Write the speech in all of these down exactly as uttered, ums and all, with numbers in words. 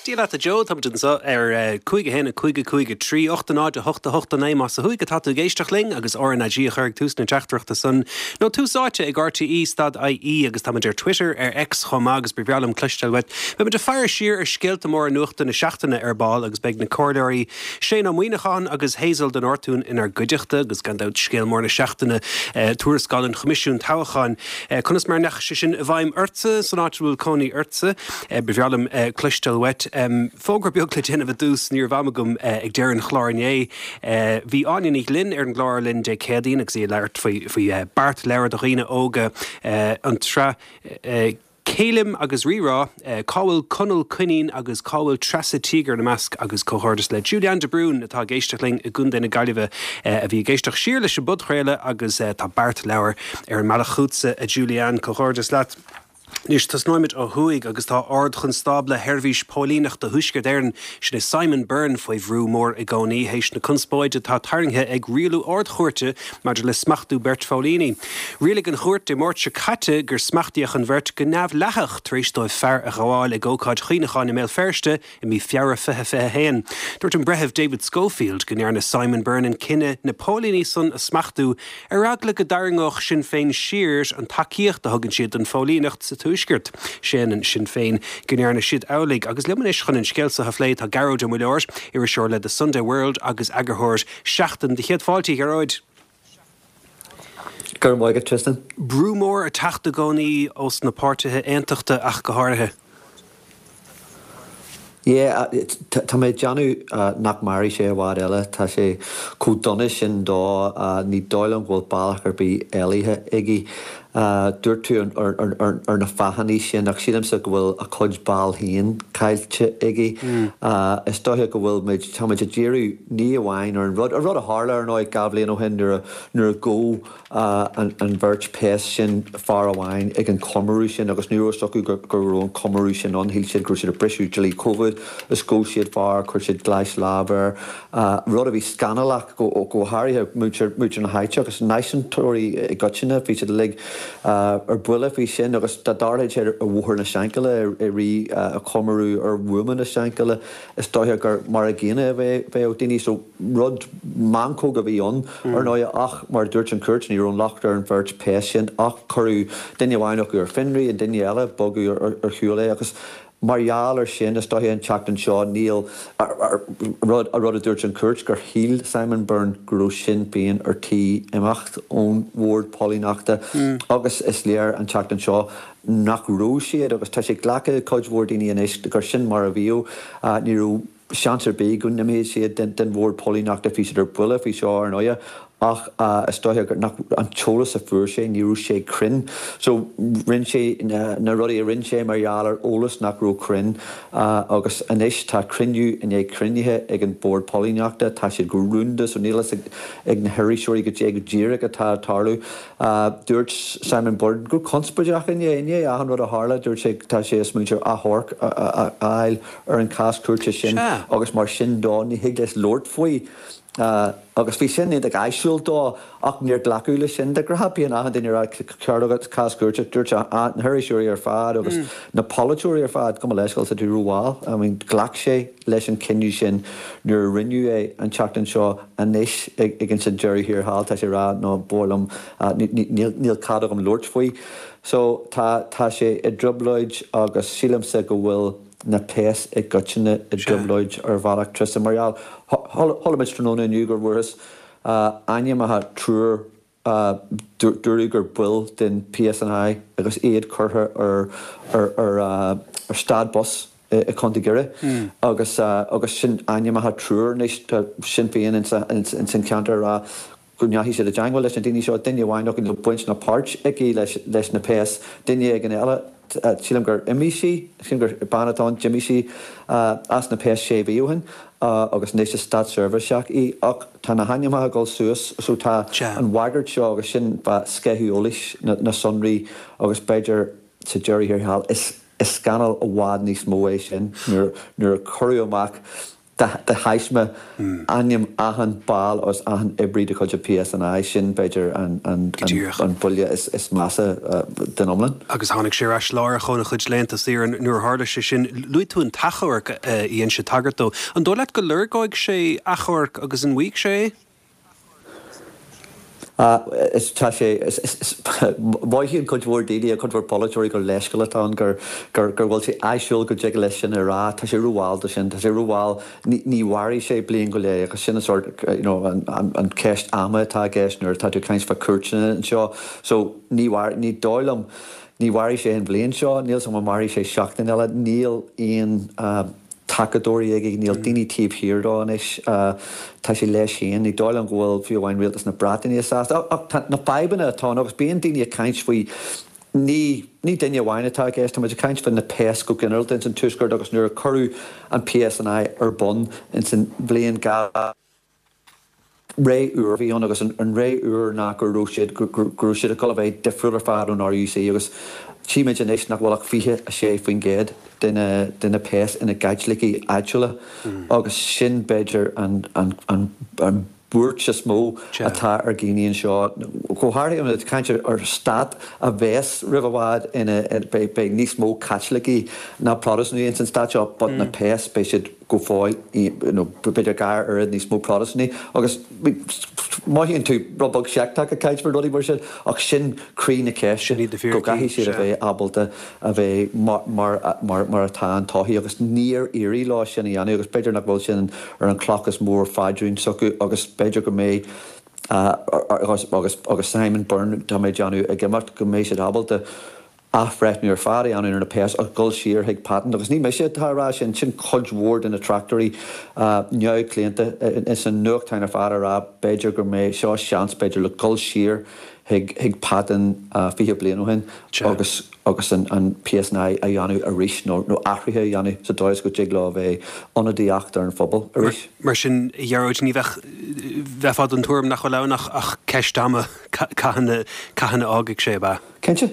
Dia leat a Joe tá anseo ar cúig a haon a cúig a cúig a trí ocht a náid a hocht a hocht a naoi más ó thuaidh atá tú ag éisteacht linn agus R N A G a chur ag tús na teachtaireachta san nó Tús Áite ag R T E stad I E agus táimid ar Twitter, ar X chomh maith, agus ba bhreá liom cloisteáil uait. Beimid ag faire siar ar scéalta móra nuachta na seachtaine ar ball agus beidh na comhairleoirí Shane Ó Muíneacháin agus Hazel de Nortún inár gcuideachta agus gan dabht scéal mór na seachtaine, tuarascáil an Choimisiúin Toghcháin. Conas mar a ndeachaigh sé sin i bhfeidhm ortsa san áit bhfuil cónaí ortsa? Ba bhreá liom cloisteáil uait. Um, fógra beag le déanamh ar dtús, ní raibh am agam uh, ag deireadh an chláir inné. Uh, bhí Áine Ní Ghlinn ar an gclár linn Dé Céadaoin agus í ag labhairt faoi faoi uh, beartleabhar do dhaoine óga, uh, an tsraith uh, Céilim agus Rírá, uh, cá bhfuil Conall Coinín agus cá bhfuil Treasa Tíogar ina measc, agus comhghairdeas le Julian de Brún atá ag éisteacht linn i gContae na Gaillimhe, uh, a bhí ag éisteacht siar leis an bpodchraoladh agus uh, tá beartleabhar ar an mbealach chugatsa, a Julian, comhghairdeas leat. Anois tosnóimid ó thuaidh agus tá Ard-Chonstábla Sheirbhís Póilíneachta Thuaisceart Éireann, sin é Simon Byrne, faoi bhrú mór i gcónaí théis na conspóide atá tarraingthe ag rialú ardchúirte maidir le smachtú beirt phóilíní. Rialaigh an chúirt Dé Máirt seo caite gur smachtaíodh an bheirt go neamhdhleathach tar éis dóibh fear a ghabháil ag ócáid chuimhneacháin i mBéal Feirste i mí Feabhra fiche fiche haon. Dúirt an breitheamh David Schofield go ndearna Simon Byrne an cinneadh na póilíní san a smachtú ar eagla go dtarraingeodh Sinn Féin siar an tacaíocht a thugann siad don phóilíneacht sa Tuaisceart. Séanann Sinn Féin go ndearna siad amhlaidh, agus liom anois chun an scéal seo a phlé tá Gearóid Ó Muilleoir, iriseoir le The Sunday World agus eagarthóir Seachtain. De chéad fáilte, Gearóid. Gur mhaith Tristan. Brú mór ag teacht i gcónaí ós na páirtithe aontachta ach go háirithe. Yeah, tá mé déanamh nach mairfidh sé i bhfad eile. Tá sé chomh dona sin dó, ní dóigh liom go bhfuil bealach ar bith éalaithe aige. Dúirt tú ar na fáthanna sin, ach sílimse go bhfuil a chuid ball féin caillte aige. Is dóiche go bhfuil muid táimid ag díriú ní amháin ar an rud a rud a tharla ar ndóigh dhá bhliain ó shin nuair nuair a ghabh an bheirt péas sin fear amháin ag an chomóradh sin, agus ní raibh acu go raibh an comóradh sin ann. Shíl siad go raibh siad ag briseadh dlí Covid is ghabh siad fear, chuir siad gléas lámh air, rud a bhí scannalach, go go háirithe muintir muintir na háite agus náisiúntóirí i gcoitinne. Bhí siad uilig ar buile faoi sin, agus dá dtarlódh sé ar Bhóthar na Seanchille i rith a chomóradh ar bhuama na Seanchille, is dóiche gur mar a gcéanna a bheadh daoine. So rud meancóg a bhí ann ar ndóigh, ach mar dúirt an chúirt, ní raibh an locht ar an bheirt péas sin, ach cuireadh duine amháin acu ar fionraí, an duine eile bogadh ar shiúl é. Agus mar gheall ar sin, is dóiche an tseachtain seo níl rud a rud a dúirt an chúirt gur shíl Simon Byrne go raibh Sinn Féin ar tí imeacht ón bhord póilíneachta, agus is léir an tseachtain seo nach raibh siad, agus tá sé glactha cuid mhór daoine anois gur sin mar a bhíodh. Ní raibh seans ar bith go n-imeodh siad den bhord póilíneachta. Bhí siad ar buile faoi seo ar ndóigh, ach is dóiche gur nach an t-eolas a fuair sé, ní raibh sé cruinn. So rinne sé na rudaí a rinne sé mar gheall ar eolas nach raibh cruinn, agus anois tá cruinniú i ndiaidh cruinnithe ag an bord póilíneachta. Tá siad go rúnda, so níl fhios ag na hiriseoirí goidé go díreach atá ag tarlú. Dúirt Simon Byrne go conspóideach inné inné achan rud a tharla, dúirt sé tá sé ag smaoineamh ar achomharc a fháil ar an cás cúirte sin, agus mar sin dó ní thig leis labhairt faoi. Agus bhí sin iontach áisiúil dó, ach níor glacadh leis sin. De ghnáth bíonn achan duine ag rá ceart agat, cás cúirte. Dúirt na hiriseoirí ar fad agus na polaiteoirí ar fad go mba leisceáil sa tú rómhall. I mean, ghlac sé leis an cinneadh sin nuair a rinneadh é an tseachtain seo. Anois ag an sin deireadh thiar thall tá sé rá nó b'fhearr liom níl cead agam labhairt faoi. So tá tá sé i dtrioblóid, agus sílimse go bhfuil na péas i gcoitinne i dtrioblóid ar bhealach, Tristan, mar gheall chuala muid tráthnóna inniu gur bhfuarthas ainmneacha triúr, dúradh gur baill den P S N I, agus iad curtha ar ar ar ar stad bus i Contae Dhoire, agus agus sin ainmneacha triúr. Anois tá Sinn Féin ins an ceantar rá go ndeachaigh siad i dteagmháil leis na daoine seo. Duine amháin acu, níl baint ná páirt aici leis leis na péas. Duine éigin eile, sílim gur imigh sí, sílim gur bean atá ann, d'imigh sí as na péas sé mhí ó shin agus anois is státseirbhíseach í, ach tá na hainmneacha ag dul suas. So tá an bhagairt seo, agus sin sceitheadh eolais na, na sonraí, agus b'fhéidir sa deireadh thiar thall is is scannal i bhfad níos mó é sin nuair nuair a cuireadh amach De thaisme ainm achan ball agus achan oibrí de chuid an P S N I, sin b'fhéidir an buille is measa den iomlán. Agus tháinig sé ar ais láithreach óna chuid laethanta saoire nuair a tharla sé sin. Luaigh tú an t-achomharc a dhein sé tagairt dó. An dóigh leat go lorgóidh sé achomharc agus an bhfaighidh sé é? Is tá sé mothaíonn cuid mhór daoine, cuid mhór polaiteoirí, gur leithscéal atá ann, gur gur gur bhfuil sé áisiúil go dtig leis sin a rá. Tá sé rómhall do sin, tá sé rómhall, ní mhairfidh sé bliain go leith agus sin an sort you know, an, an, an ceist ama atá i gceist nuair atá tú ag caint fá cúirteanna anseo. So ní ní dóigh liom ní mhairfidh sé an bhliain seo, níl san mairfidh sé seachtain eile, níl aon uh, tacadóirí aige, níl daoine taobh thiar dó anois, tá sé leis féin, ní dóigh liom go bhfuil fiú amháin rialtas na Breataine sásta. Ach na fadhbanna atá agus bíonn daoine ag caint faoi, ní ní duine amháin atá i gceist, tá muid ag caint faoi na péas go ginearálta ins an tuaisceart agus nuair a cuireadh an P S N I ar bun ins an bhliain dhá ré úr bhí ann agus an ré úr ná go raibh siad go raibh siad ag dul a bheith difriúil ar fad ón R U C agus tímid anois nach bhfuil ach fiche a sé faoin gcéad de na de na péas ina gCaitlicigh áitiúla agus sin b'fhéidir an an an an buairt is mó atá ar dhaoine anseo. Go háirithe ag caint ar stát a bheas roimh i bhfad ina beidh níos mó Caitlicigh ná Protastúnaigh ins an stát seo, but na péas beidh siad go fóill b'fhéidir dhá oiread níos mó Protastúnaigh agus mothaíonn tú rud beag seicteach ag caint faoi rudaí mar sin ach sin croí na ceiste, go gcaithfidh siad a bheith ábalta a bheith mar mar mar mar atá an todhchaí agus níor éirigh leo sin a dhéanamh agus b'fhéidir nach bhfuil sin ar an cloch is mó phaidrín s'acu agus b'fhéidir go mbeidh agus agus agus Simon Byrne, tá mé ag déanamh, ag imeacht, go mbeidh siad ábalta athbhreithniú ar fad a dhéanamh ar na péas agus dul siar chuig pattern agus ní mise atá ag rá sin, sin cuid mhór de na tráchtairí neamhchlaonta ins an nuachtáin ar fad ag rá b'fhéidir go mbeidh seo seans b'fhéidir le dul siar chuig chuig pattern fiche bliain ó shin agus agus an an P S N I a dhéanamh arís nó nó athruithe a dhéanamh sa dóigh is go dtig leo a bheith ionadaíocht ar an phobal arís. Mar sin, a Ghearóid, ní bheadh bheifeá den tuairim nach bhfuil ann ach ach ceist ama cathain a cathain a fhágfaidh sé, ab ea? Cinnte.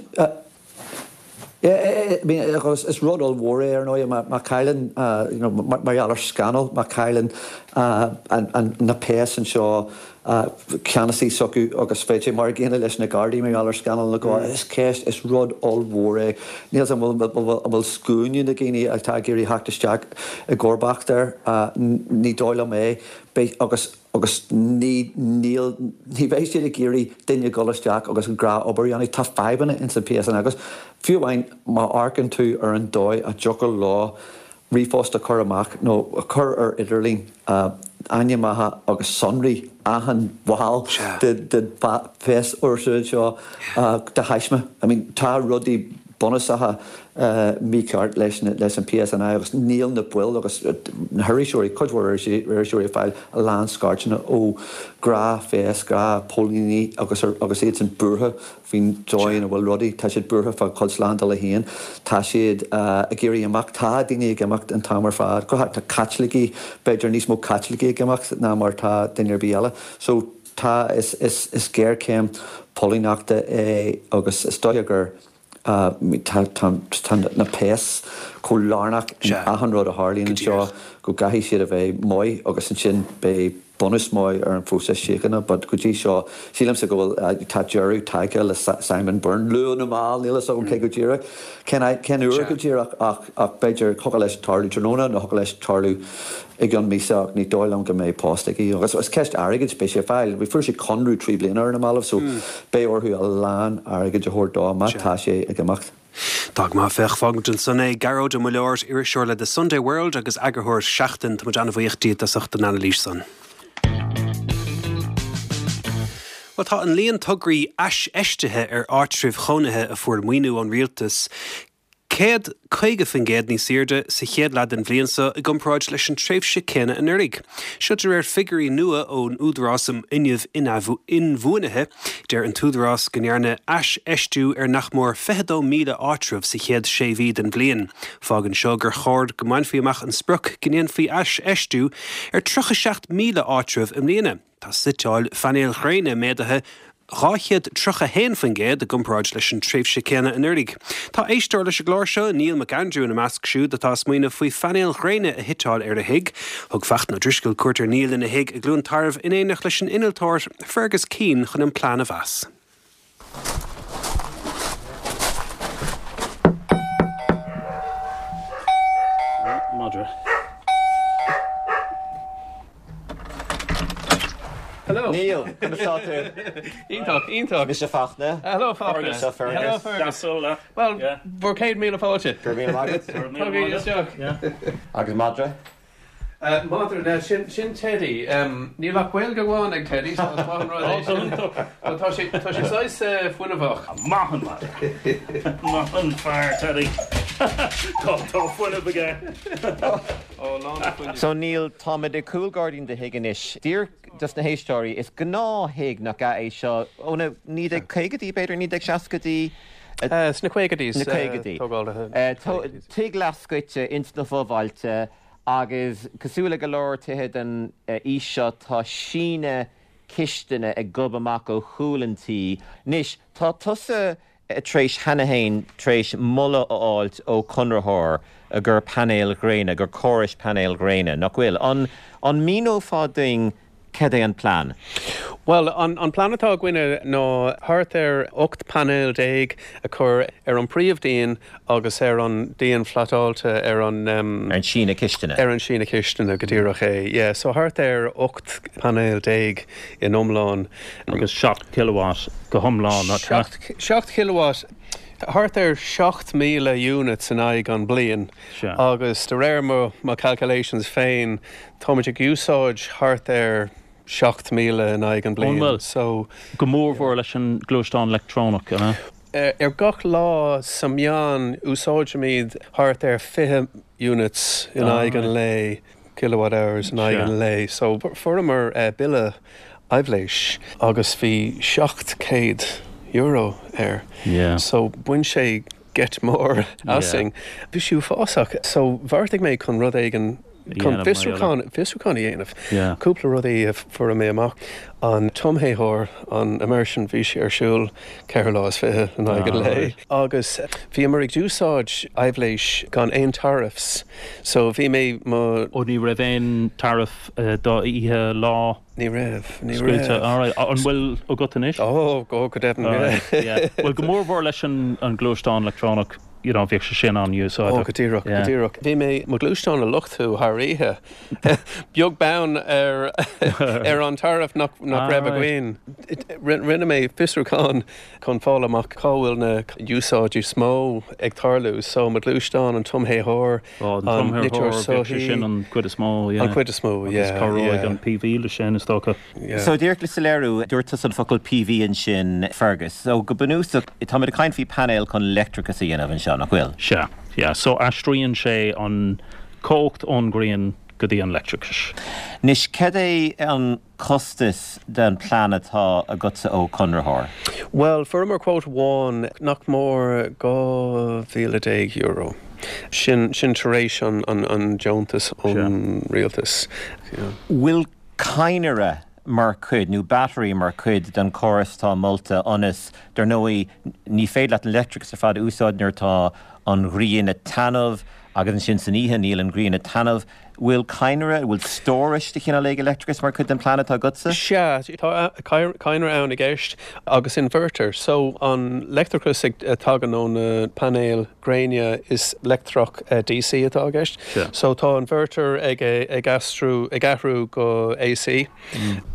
Is rud ollmhór é ar ndóigh má chailleann mar gheall ar scannal, má chailleann na péas anseo ceannasaí s'acu agus beidh sé mar an gcéanna leis na Gardaí mar gheall ar scannal na gá. Is ceist, is rud ollmhór é. Níl an bhfuil scuaine na daoine atá ag iarraidh theacht isteach i gcomharbacht air, ní dóigh liom é agus agus ní níl ní bheidh siad ag iarraidh duine dul isteach agus an gnáthobair a dhéanamh. Tá fadhbanna ins an P S N I agus fiú amháin má amharcann tú ar an dóigh a dtiocfadh leo ríomhphost a chur amach nó a chur ar idirlíon ainmneacha agus sonraí achan bhall de de phéas fhórsa anseo de thaisme. I mean tá rudaí bunúsacha mícheart leis leis an P S N I agus níl na baill agus na hiriseoirí, cuid mhór iriseoirí, ag fáil a lán scairteanna ó ghnáthphéas, gnáthphóilíní agus agus iad sin buartha faoin dóigh ina bhfuil rudaí. Tá siad buartha fá chuid slándála féin, tá siad ag iarraidh imeacht, tá daoine ag imeacht an t-am ar fad, go tá Caitlicigh, b'fhéidir níos mó Caitlicigh ag imeacht ná mar tá duine ar bith eile. So tá is is is géarchéim póilíneachta é agus is dóigh gur tá na péas chomh lárnach in achan rud a tharlaíonn anseo go gcaithfidh siad a bheith maith agus ansin beidh bunús maith ar an phróiseas síochána, but go dtí seo sílimse go bhfuil tá deireadh tagtha le Simon Byrne, luath nó mall, níl a fhios agam cé go díreach cén cén uair go díreach ach ach b'fhéidir thiocfadh leis tarlú tráthnóna nó thiocfadh leis tarlú i gceann míosa ach ní dóigh liom go mbeidh post aige agus is ceist airgid beidh sé fáil. Bhí fuair sé conradh trí bliana ar na mallaibh so beidh orthu a lán airgid a thabhairt dó má tá sé ag imeacht. Tá má féach fágfaimid ansan é. Gearóid Ó Muilleoir, iriseoir le The Sunday World agus eagarthóir Seachtain, tá muid an-bhuíoch díot as ucht an anailís san. Well, tá an líon tograí aisfheistithe ar áitribh chónaithe a fuair maoiniú ón rialtas céad caoga faoin gcéad níos airde sa chéad leath den bhliain seo i gcomparáid leis an tréimhse céanna anuraidh. Seo de réir figiúirí nua ón Údarás um Fhuinneamh Inbhuanaithe, deir an tÚdarás go ndearnadh aisfheistiú ar nach mór fiche dó míle áitreabh sa chéad sé mhí den bhliain. Fágann seo gur chóir go mbainfí amach an sprioc go ndéanfaí aisfheistiú ar tríocha seacht míle áitreabh i mbliana. Tá suiteáil phainéil ghréine méadaithe dhá chéad tríocha a haon faoin gcéad i gcomparáid leis an tréimhse céanna anuraidh. Tá éisteoir leis an gclár seo, Niall McAndrew, ina measc siúd atá ag smaoineamh faoi phainéil ghréine a shuiteáil ar a thigh. Thug Fachtna Ó Drisceoil cuairt ar Niall ina thigh i gCluain Tarbh in éineacht leis an innealtóir Fergus Keane chun an plean a mheas. Madra. Hello. Neil, conas tá tú? Iontach, iontach. Mise Fachtna. Hello Fachtna. Seo Fergus. Hello Fergus. Well, bhur céad míle fáilte. Go raibh míle maith agat. Tugaigí isteach. Agus madra? Madra, now sin, sin Teddy. Níl ach Gaeilge amháin ag Teddy, so is maith an rud é sin. But tá sé, tá sé saghas fuinneamhach. Maith an madra. Maith an fear, Teddy. Tá, tá fuinneamh aige. Ó, lán de fuinneamh. So Neil, táimid i gcúlghairdín do thigh anois. Díreach dos na héisteoirí, is gnáth-thigh nach ea é seo ó na naoi déag caogaidí, b'fhéidir, naoi déag seascaidí? Sna caogaidí. Na caogaidí. Tógáil. Tigh leathscoite ins na fobhailte agus cosúil le go leor tithe den aois seo tá síneadh cistine ag gobadh amach ó chúl an tí. Anois, tá tusa tar éis cheana féin tar éis moladh a fháilt ó chonraitheoir gur painéil ghréine, gur córais painéil ghréine, nach bhfuil? An, an míneofá dúinn cad é an plean? Bhuel, an, an plean atá againne ná thart ar ocht painéal déag a chur ar an príomhdhíon agus ar an díon flatáilte ar an, Ar an síneadh cistine. Ar an síneadh cistine, go díreach é, yeah. So thart ar ocht painéal déag in iomlán. Agus seacht kilowatt go hiomlán, nach ea? Seacht, seacht kilowatt, thart ar seacht míle units in aghaidh an bliain. Sea. Agus de réir mo, mo calculations féin, táimid ag úsáid thart ar seacht míle in aghaidh an bliain. An bhfuil? So. Go mórmhór leis an gluaisteán leictreonach, an ea? Ar gach lá sa meán úsáidimid thart ar fiche units in aghaidh an lae, kilowatt hours in aghaidh an lae. So fuaireamar bille aibhléis agus bhí seacht céad euro air. Yeah. So bhain sé geit mór asainn. Bhí sé uafásach. So bheartaigh mé chun rud éigin chun fiosrúchán, fiosrúchán a dhéanamh. Yeah. Cúpla rudaí a fuair mé amach. An tumthéitheoir, an immersion, bhí sé ar siúl ceithre lá is fiche in aghaidh an Ah, lae. right. Agus bhíomar ag úsáid aibhléis gan aon tariffs. So bhí mé mo. Ó ní raibh aon tariff do oíche, lá? Ní raibh, ní Scaoilte, raibh. all right. An bhfuil agat anois? Ó, go, go deimhin, All yeah. right, yeah. Bhuel, go mórmhór leis an, an gluaisteán leictreonach, you know, bheadh sé sin an-úsáideach. Ó, go díreach, go Yeah. díreach. Bhí mé mo ghluaisteán a luchtú thar oíche. Beag beann ar, ar an tariff nach, nach Ah, raibh right. againn. Rinne mé fiosrúchán chun fáil amach cá bhfuil na úsáidí is mó ag tarlú. So mo ghluaisteán, an tumthéitheoir, Ó, an an tumthéitheoir, niteoir bheadh sé soithí. sin an cuid is mó, yeah. An cuid is mó, Agus yeah, cabhróidh yeah. an P V leis sin, is dócha. Yeah. So díreach le soiléiriú, dúirt tusa an focal P V ansin, Fergus. So go bunúsach, táimid ag caint faoi painéil chun leictreachas a dhéanamh anseo, nach bhfuil? Sea, yeah. So aistríonn sé an cumhacht ón ngrian go dtí an leictreachas. Anois, cad é an costas den plean atá agatsa ó chonraitheoir? Bhuel, fuaireamar quote amháin nach mór dhá mhíle déag euro. Sin, sin tar éis an, an, an deontas ón rialtas. Yeah. Bhfuil cadhnra mar chuid nó battery mar chuid den chóras atá molta ionas, dar ndóigh, ní féidir leat an leictreachas ar fad a úsáid nuair atá an ghrian ag taitneamh agus ansin san oíche níl an ghrian ag taitneamh. Bhfuil cadhnra, bhfuil stórais de chineál éigin leictreachais mar chuid den plean atá agatsa? Sea, tá cadhnra ann i gceist agus inverter. So an leictreachas ag tagann ó na painéil gréine is leictreach D C atá i gceist. Sea. So tá inverter ag ag aistriú ag athrú go A C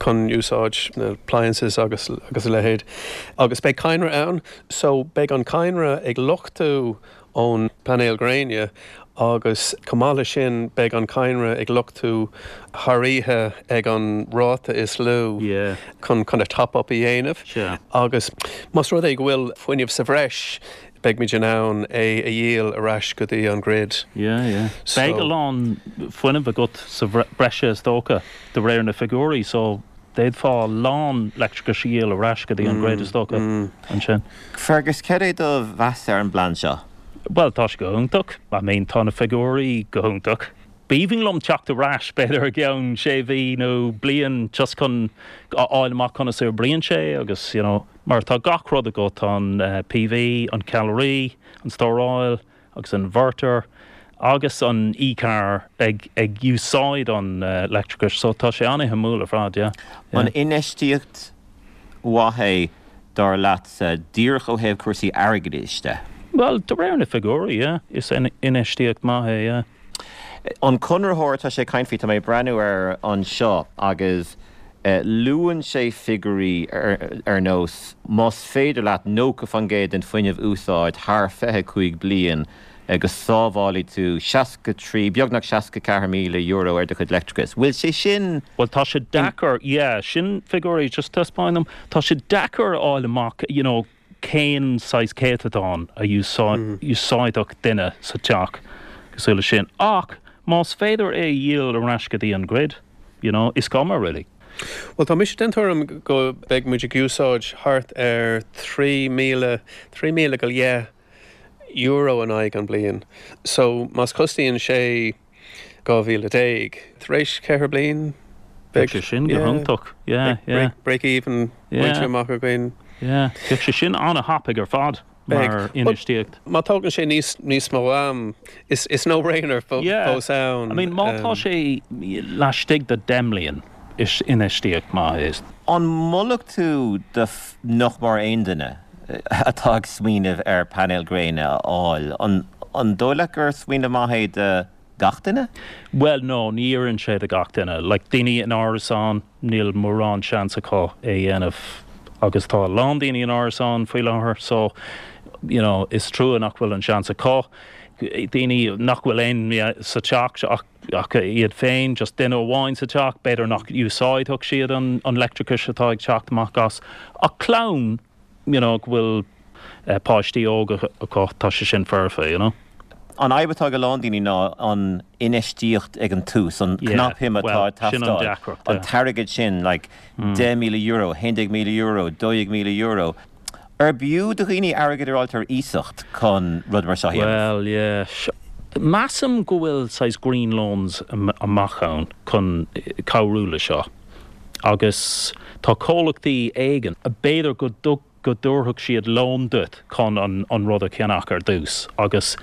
chun úsáid na appliances agus agus a leithéid. Agus beidh cadhnra ann, so beidh an cadhnra ag luchtú ón painéil gréine agus chomh maith leis sin beidh an cadhnra ag luchtú thar oíche ag an ráta is lú Yeah. chun chun a top up a dhéanamh. Sea. Agus más rud é go bhfuil fuinneamh sa bhreis, beidh muid in ann é a dhíol ar ais go dtí an grid. Yeah, yeah. So- Beidh a lán fuinneamh agat sa bhreise is dócha de réir na figiúirí, so d'fhéadfá a lán leictreachais a dhíol ar ais go dtí an grid is dócha ansin. Fergus, cad é do mheas ar an bplean seo? Well, tá sé go hiontach. I mean, tá na figiúirí go hiontach. B'aoibhinn liom teacht ar ais b'fhéidir i gceann sé mhí nó bliain just chun a fháil amach conas a oibríonn sé agus you know mar tá gach rud agat, an P V, an ceallraí, an stóráil agus an inverter agus an e-car ag ag úsáid an leictreachais, so tá sé an-shuimiúil ar fad, yeah. An infheistíocht mhaith é dar leatsa díreach ó thaobh cúrsaí airgeadais de? Well, de réir na figiúirí, yeah, is infheistíocht maith é, yeah. An conraitheoir tá sé ag caint faoi, tá mé ag breathnú air anseo agus luann sé figiúirí ar nós más féidir leat nócha faoin gcéad den fuinneamh a úsáid thar fiche cúig bliain go sábhálfaidh tú seasca trí, beagnach seasca ceathair míle euro ar do chuid leictreachais. Bhfuil sé sin. Bhuel tá sé deacair, yeah, sin figiúirí, just taispeáin dom, tá sé deacair a fháil amach, you know, cén saghas céatadán a úsáidfeadh duine sa teach cosúil leis sin. Ach más féidir é a dhíol ar ais go dtí an grid, you know, is cuma really. Bhuel tá mise den tuairim go mbeidh muid ag úsáid thart ar trí míle, trí míle go leith euro in aghaidh an bliain. So más cosnaíonn sé dhá mhíle déag tar éis ceithre bliain beidh sé sin go hiontach. Yeah, yeah. Break even bainte amach againn. Yeah, bheadh sé sin an-thapaidh ar fad mar infheistíocht. Má tógann sé níos níos mó am, is is no-brainer fós ann. I mean má tá sé laistigh de deich mbliain is infheistíocht maith é. An molfadh tú do nach mór aon duine atá ag smaoineamh ar painéil gréine a fháil, an an dóigh leat gur smaoineamh maith é do gach duine? Well no, ní oireann sé do gach duine. Like daoine in árasán, níl mórán seans acu é a dhéanamh agus tá a lán daoine in árasán faoi láthair so you know, is trua nach bhfuil an seans acu. Daoine nach bhfuil aon sa teach ach ach iad féin, just duine amháin sa teach, b'fhéidir nach úsáidfeadh siad an, an leictreachas atá ag teacht amach as. Ach clann, you know, go bhfuil uh, páistí óga acu, tá sé sin foirfe, you know. An fhadhb atá ag a lán daoine ná an infheistíocht ag an tús, an cnapshuim atá ag teastáil, an t-airgead sin, like deich míle euro, haon déag míle euro, dó dhéag míle euro. Ar b'fhiú do dhaoine airgead a fháil ar iasacht chun rud mar seo a dhéanamh? Well, yeah. Measaim go bhfuil saghas green loans amach ann chun cabhrú le seo. Agus tá comhlachtaí éigin, b'fhéidir go dtug go dtabharfadh siad loan duit chun an, an rud a cheannach ar dtús agus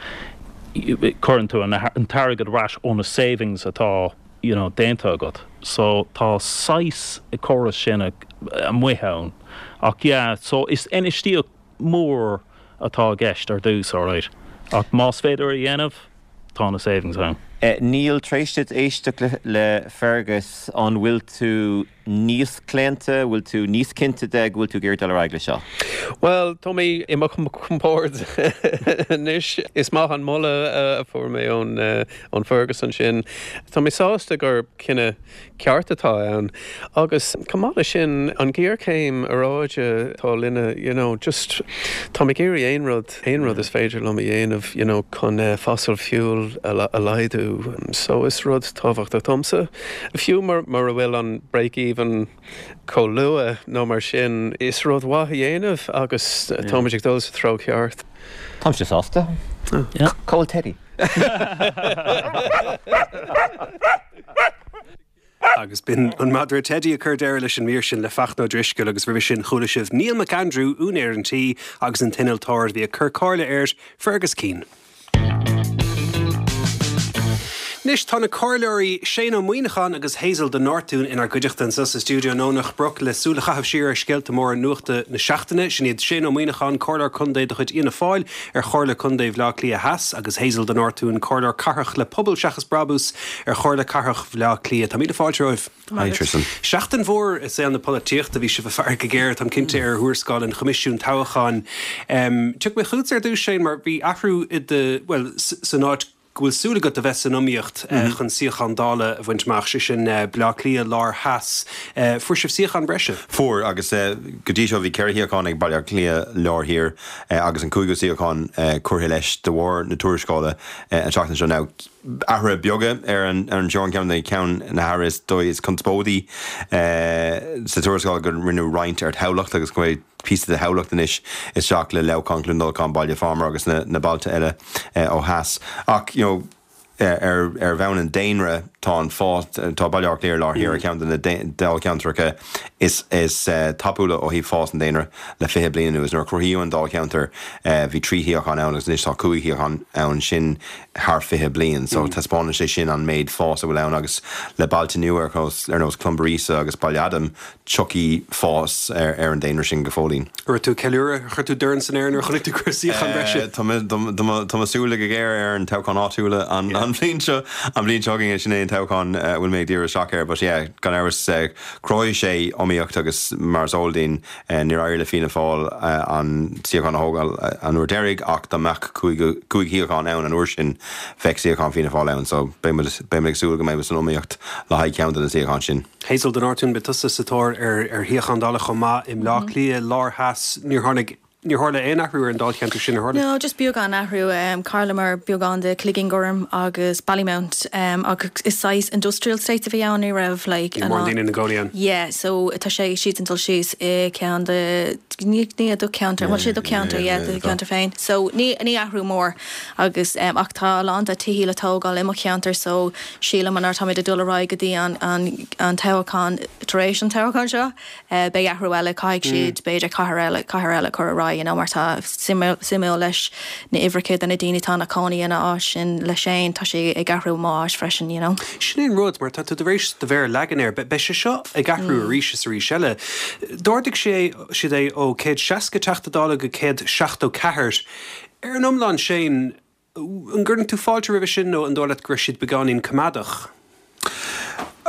cuireann tú an, an t-airgead ar ais ó na savings atá you know, déanta agat. So tá saghas córas sin amuigh ann. Ach yeah, so is infheistíocht mór atá i gceist ar dtús, alright. Ach más féidir a dhéanamh, tá na savings ann. Niall, tar éis duit éisteacht le, le Fergus, an bhfuil tú níos claonta, bhfuil tú níos cinnte de go bhfuil tú ag iarraidh dul ar aghaidh le seo? Well, tá mé i mo chompord anois. Is maith an moladh a fuair mé ón ón Fergus ansin. Tá mé sásta gur cinneadh ceart atá ann. Agus chomh maith leis sin an ghéarchéim aeráide atá linne, you know, just tá mé ag iarraidh aon rud aon rud is féidir liom a dhéanamh, you know, chun uh, fossil fuel a, a laghdú. So is rud tábhachtach domsa. Fiú mar mar a bhfuil an break-even chomh luath nó mar sin is rud mhaith a dhéanamh agus táimid ag dul sa treo ceart. Táimse sásta. Yeah. Cá bhfuil Teddy. Agus b'in an madra Teddy a chuir deireadh leis an mír sin le Fachtna Ó Drisceoil agus roimhe sin chuala sibh Neil McAndrew, úinéir an tí agus an t-innealtóir a bhí ag cur comhairle ar Fergus Keane. Anois tá na comhairleoirí Shane Ó Muíneacháin agus Hazel de Nortún inár gcuideachta anseo sa stiúideo i nDomhnach Broc le súil a chaitheamh siar ar scéalta móra nuachta na seachtaine, sin iad Shane Ó Muíneacháin, Comhairleoir Contae de chuid Fhianna Fáil ar Chomhairle Contae Bhaile Átha Cliath Theas agus Hazel de Nortún, Comhairleoir Cathrach le Pobal Seachas Brabús ar Chomhairle Cathrach Bhaile Átha Cliath. Tá míle fáilte romhaibh. Hi Tristan. Seachtain mhór i saol na polaitíochta bhí sibh ag faire go géar táim cinnte ar thuarascáil an Choimisiúin Toghcháin. Um, Tiocfaidh mé chugat ar dtús Shane mar bhí athrú i do well san áit go bhfuil súil agat a bheith san iomaíocht mm -hmm. chun suíochán Dála a bhaint amach sé sin uh, Baile Átha Cliath Lár Theas. Uh, fuair sibh suíochán breise? Fuair agus uh, go dtí seo bhí ceithre shuíochán ag Baile Átha Cliath Lár Thiar uh, agus an cúigiú suíochán uh, curtha leis de bharr na tuarascála uh, an tseachtain seo now athruithe beaga ar an ar an Sean ceann na ceann na hathruithe is dóigh is conspóidí uh, sa tuarascáil go rinneadh roinnt ar Thamhlacht agus go píosa de Thamhlacht anois isteach le Leamhcán Cluain Dolcáin Baile Phámar agus na, na bailte eile uh, ó theas. Ach you know, ar ar bhonn an daonra tá an fás tá Baile Átha Cliath Lár Thiar ceann de na dáilcheantracha is is uh, tapúla ó thaobh fás an daonra le fiche bliain anuas nuair a cruthaíodh an dáilcheantar uh, bhí trí shuíochán ann agus anois tá cúig shuíochán ann sin thar fiche bliain, so mm. taispeánann sé sin an méid fás a bhfuil ann agus le bailte nua ar ar nós Cluain Bheirn agus Baile Adaim tiocfaidh fás ar, ar an daonra sin go fóillín. Raibh tú ceiliúradh chuir tú dorn san aer nuair a chonaic tú gur suíochán breise. Tá súil go géar ar an toghchán áitiúil an an bhliain seo an bhliain seo chugainn sin é an toghchán bhfuil mé ag díriú isteach air, but yeah, gan amhras chruthaigh sé iomaíocht agus mar is eol dúinn níor éirigh le Fianna Fáil an suíochán a thógáil an uair deiridh ach dá mbeadh cúig shuíochán ann an uair sin bheadh suíochán Fianna Fáil ann, so beidh ag súil go mbeidh san iomaíocht le haghaidh ceann de na suíocháin sin. Hazel de Nortún beidh tusa sa tóir ar ar shuíochán Dála chomh maith i mBleá Cliath lár theas níor tháinig Níor tharla aon athrú ar an dáilcheantar sin ar tharla? No, just beagán athrú um, chailleamar beagán de Cloigín Gorm agus Ballymount um, agus is saghas industrial estate a bhí ann ní raibh like Mór daoine na gcónaí ann. Yeah, so tá sé siad an dul síos i ceann de ní ní do cheantar, well sé do cheantar yeah, do cheantar féin. So ní ní athrú mór agus um, ach tá a lán de tithe le tógáil i mo cheantar so sílim an táimid ag dul ar aghaidh go dtí an an an toghchán tar éis an toghchán seo uh, beidh athrú eile caithfidh siad b'fhéidir cathair eile cathair eile chur ar aghaidh you know, mar tá suimiúil leis na uimhreacha de na daoine tá na cónaí ina áit sin le sin tá sé ag athrú má áit freisin you know. Sin é rud mar tá tú tar éis do mhéar a leagan air, beidh sé seo ag athrú arís is arís eile. D'ardaigh sé siad é ó céad seasca teachta dála go céad seachtó ceathair. Ar an iomlán sin an gcuireann tú fáilte roimhe sin nó an dóigh leat go raibh siad beagáinín coimeádach.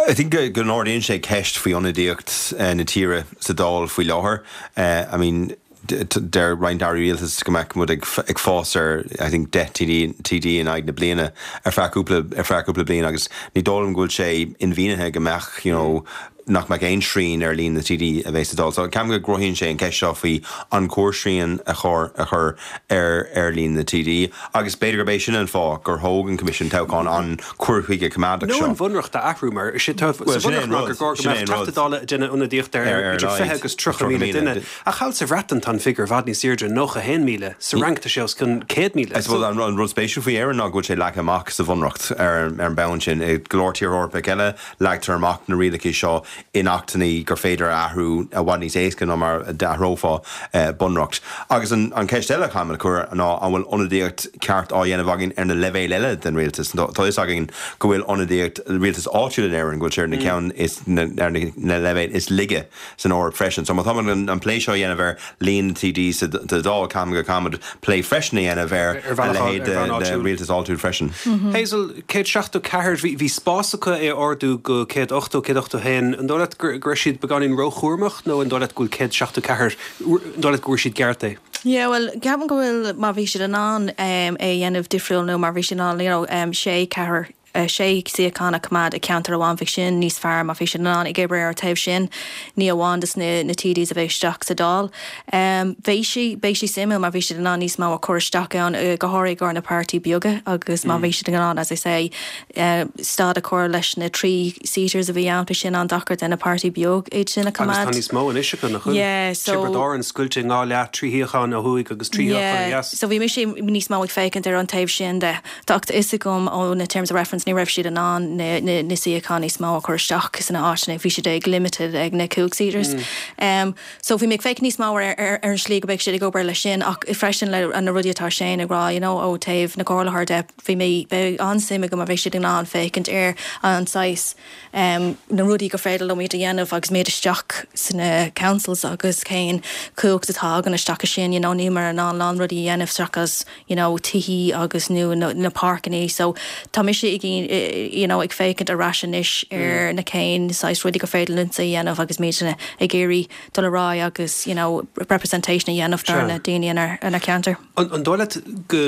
I think go n-ardaíonn sé ceist faoi ionadaíocht uh, na tíre sa Dáil faoi láthair. Uh, I mean, deir roinnt airí rialtais go mbeadh muid ag, ag fás ar I think deich TD, TD in aghaidh na bliana ar feadh cúpla ar feadh cúpla bliain agus ní dóigh liom go bhfuil sé inmhianaithe go mbeadh you know, nach mbeadh aon srian ar líon na TD a bheith sa Dáil. So ceapaim go gcruthaíonn sé an ceist seo faoi an cóir srian a chur a chur ar ar líon na TD agus b'fhéidir gurb é sin an fáth gur thóg an Coimisiún Toghcháin an cur chuige coimeádach No seo. an bhunreacht a athrú mar sé sin é an rud, gur sin é an rud. dála déanamh ionadaíocht ar Ar- ar idir fiche aghaidh agus tríocha míle duine. Ach thall sa Bhreatain tá an figiúr i bhfad níos airde nócha haon míle sa Fhrainc tá sé os cionn céad míle. I suppose an an rud spéisiúil faoi Éirinn ná go bhfuil sé leagtha amach sa bhunreacht ar ar an mbonn sin i go leor tír Eorpach eile leagtar amach na rialacha seo in achtanna gur féidir a athrú i bhfad níos éasca ná mar d'athrófá eh, bunreacht. Agus an, an ceist eile chaithfimid a chur ná an bhfuil ionadaíocht ceart á dhéanamh againn ar na leibhéil eile den rialtas. Tá fhios againn go bhfuil ionadaíocht rialtas áitiúil in Éirinn go bhfuil sé ar na ceann is na, ar na, na leibhéil is laige san Eoraip freisin. So má tá an, an plé seo dhéanamh ar líon TD sa Dáil ceapaim go gcaithfimid plé freisin a dhéanamh ar Ar bhealach a leithéid ar bhealach de áitiúil. rialtas áitiúil freisin. Hazel céad seachtó ceathair bhí bhí spás acu é ardú go céad ochtó céad ochtó haon an dóigh leat gur gur siad beagáinín róchúramach nó an dóigh leat go bhfuil céad seachtó ceathair an dóigh leat go bhfuil siad ceart é. Yeah, well ceapaim go bhfuil má bhí siad in ann um, é dhéanamh difriúil nó mar bhí siad in ann you know, um, sé ceathair uh, sé suíochán a choimeád i ceantar amháin bhí sin níos fearr má bhí siad in ann ag obair ar taobh sin ní amháin dus na, na TDs a bheith isteach sa Dáil. Um, Bhí sí beidh sé suimiúil mar bhí siad in ann níos mó a chur isteach ann uh, go háirithe gar na páirtí beaga agus má bhí siad in ann as I say uh, stad a chur leis na three seaters a bhí ann bhí sin an-deacair den na páirtí beag iad sin a Agus tá choimeád. níos mó anois acu nach bhfuil. Yeah, so- Tiobraid Árann scoilte dhá leath trí shuíochán ó thuaidh agus trí shuíochán Yeah, dheas. so bhí mise níos mó ag féachaint ar an taobh sin de Tá fhios agam ó na terms of reference ní raibh siad in ann na, na, na suíocháin níos mó a chur isteach san áit bhí siad ag limited ag na cúig seaters. Mm. Um, so bhí mé ag féachaint níos mó ar, ar, ar an slí go beidh siad ag obair leis sin ach freisin le an na rudaí atá sin ag rá you know, ó taobh na gcomhairleoirí de bhí mé beidh an-suim go mar bheidh siad in ann féachaint ar an saghas um, na rudaí go féidir leo iad a dhéanamh agus méid isteach sna councils agus cén cumhacht atá gan isteach sin you know, ní mar an an lán rudaí a dhéanamh seachas you know, tithe agus nó na, na páirceanna so tá mise ag you know, ag féachaint ar ais anois ar na cén saghas rudaí go féidir linn a dhéanamh agus méid ag iarraidh dul ar aghaidh agus you know, representation a dhéanamh dar Sure. na daoine ina ina ceantar. An an dóigh leat go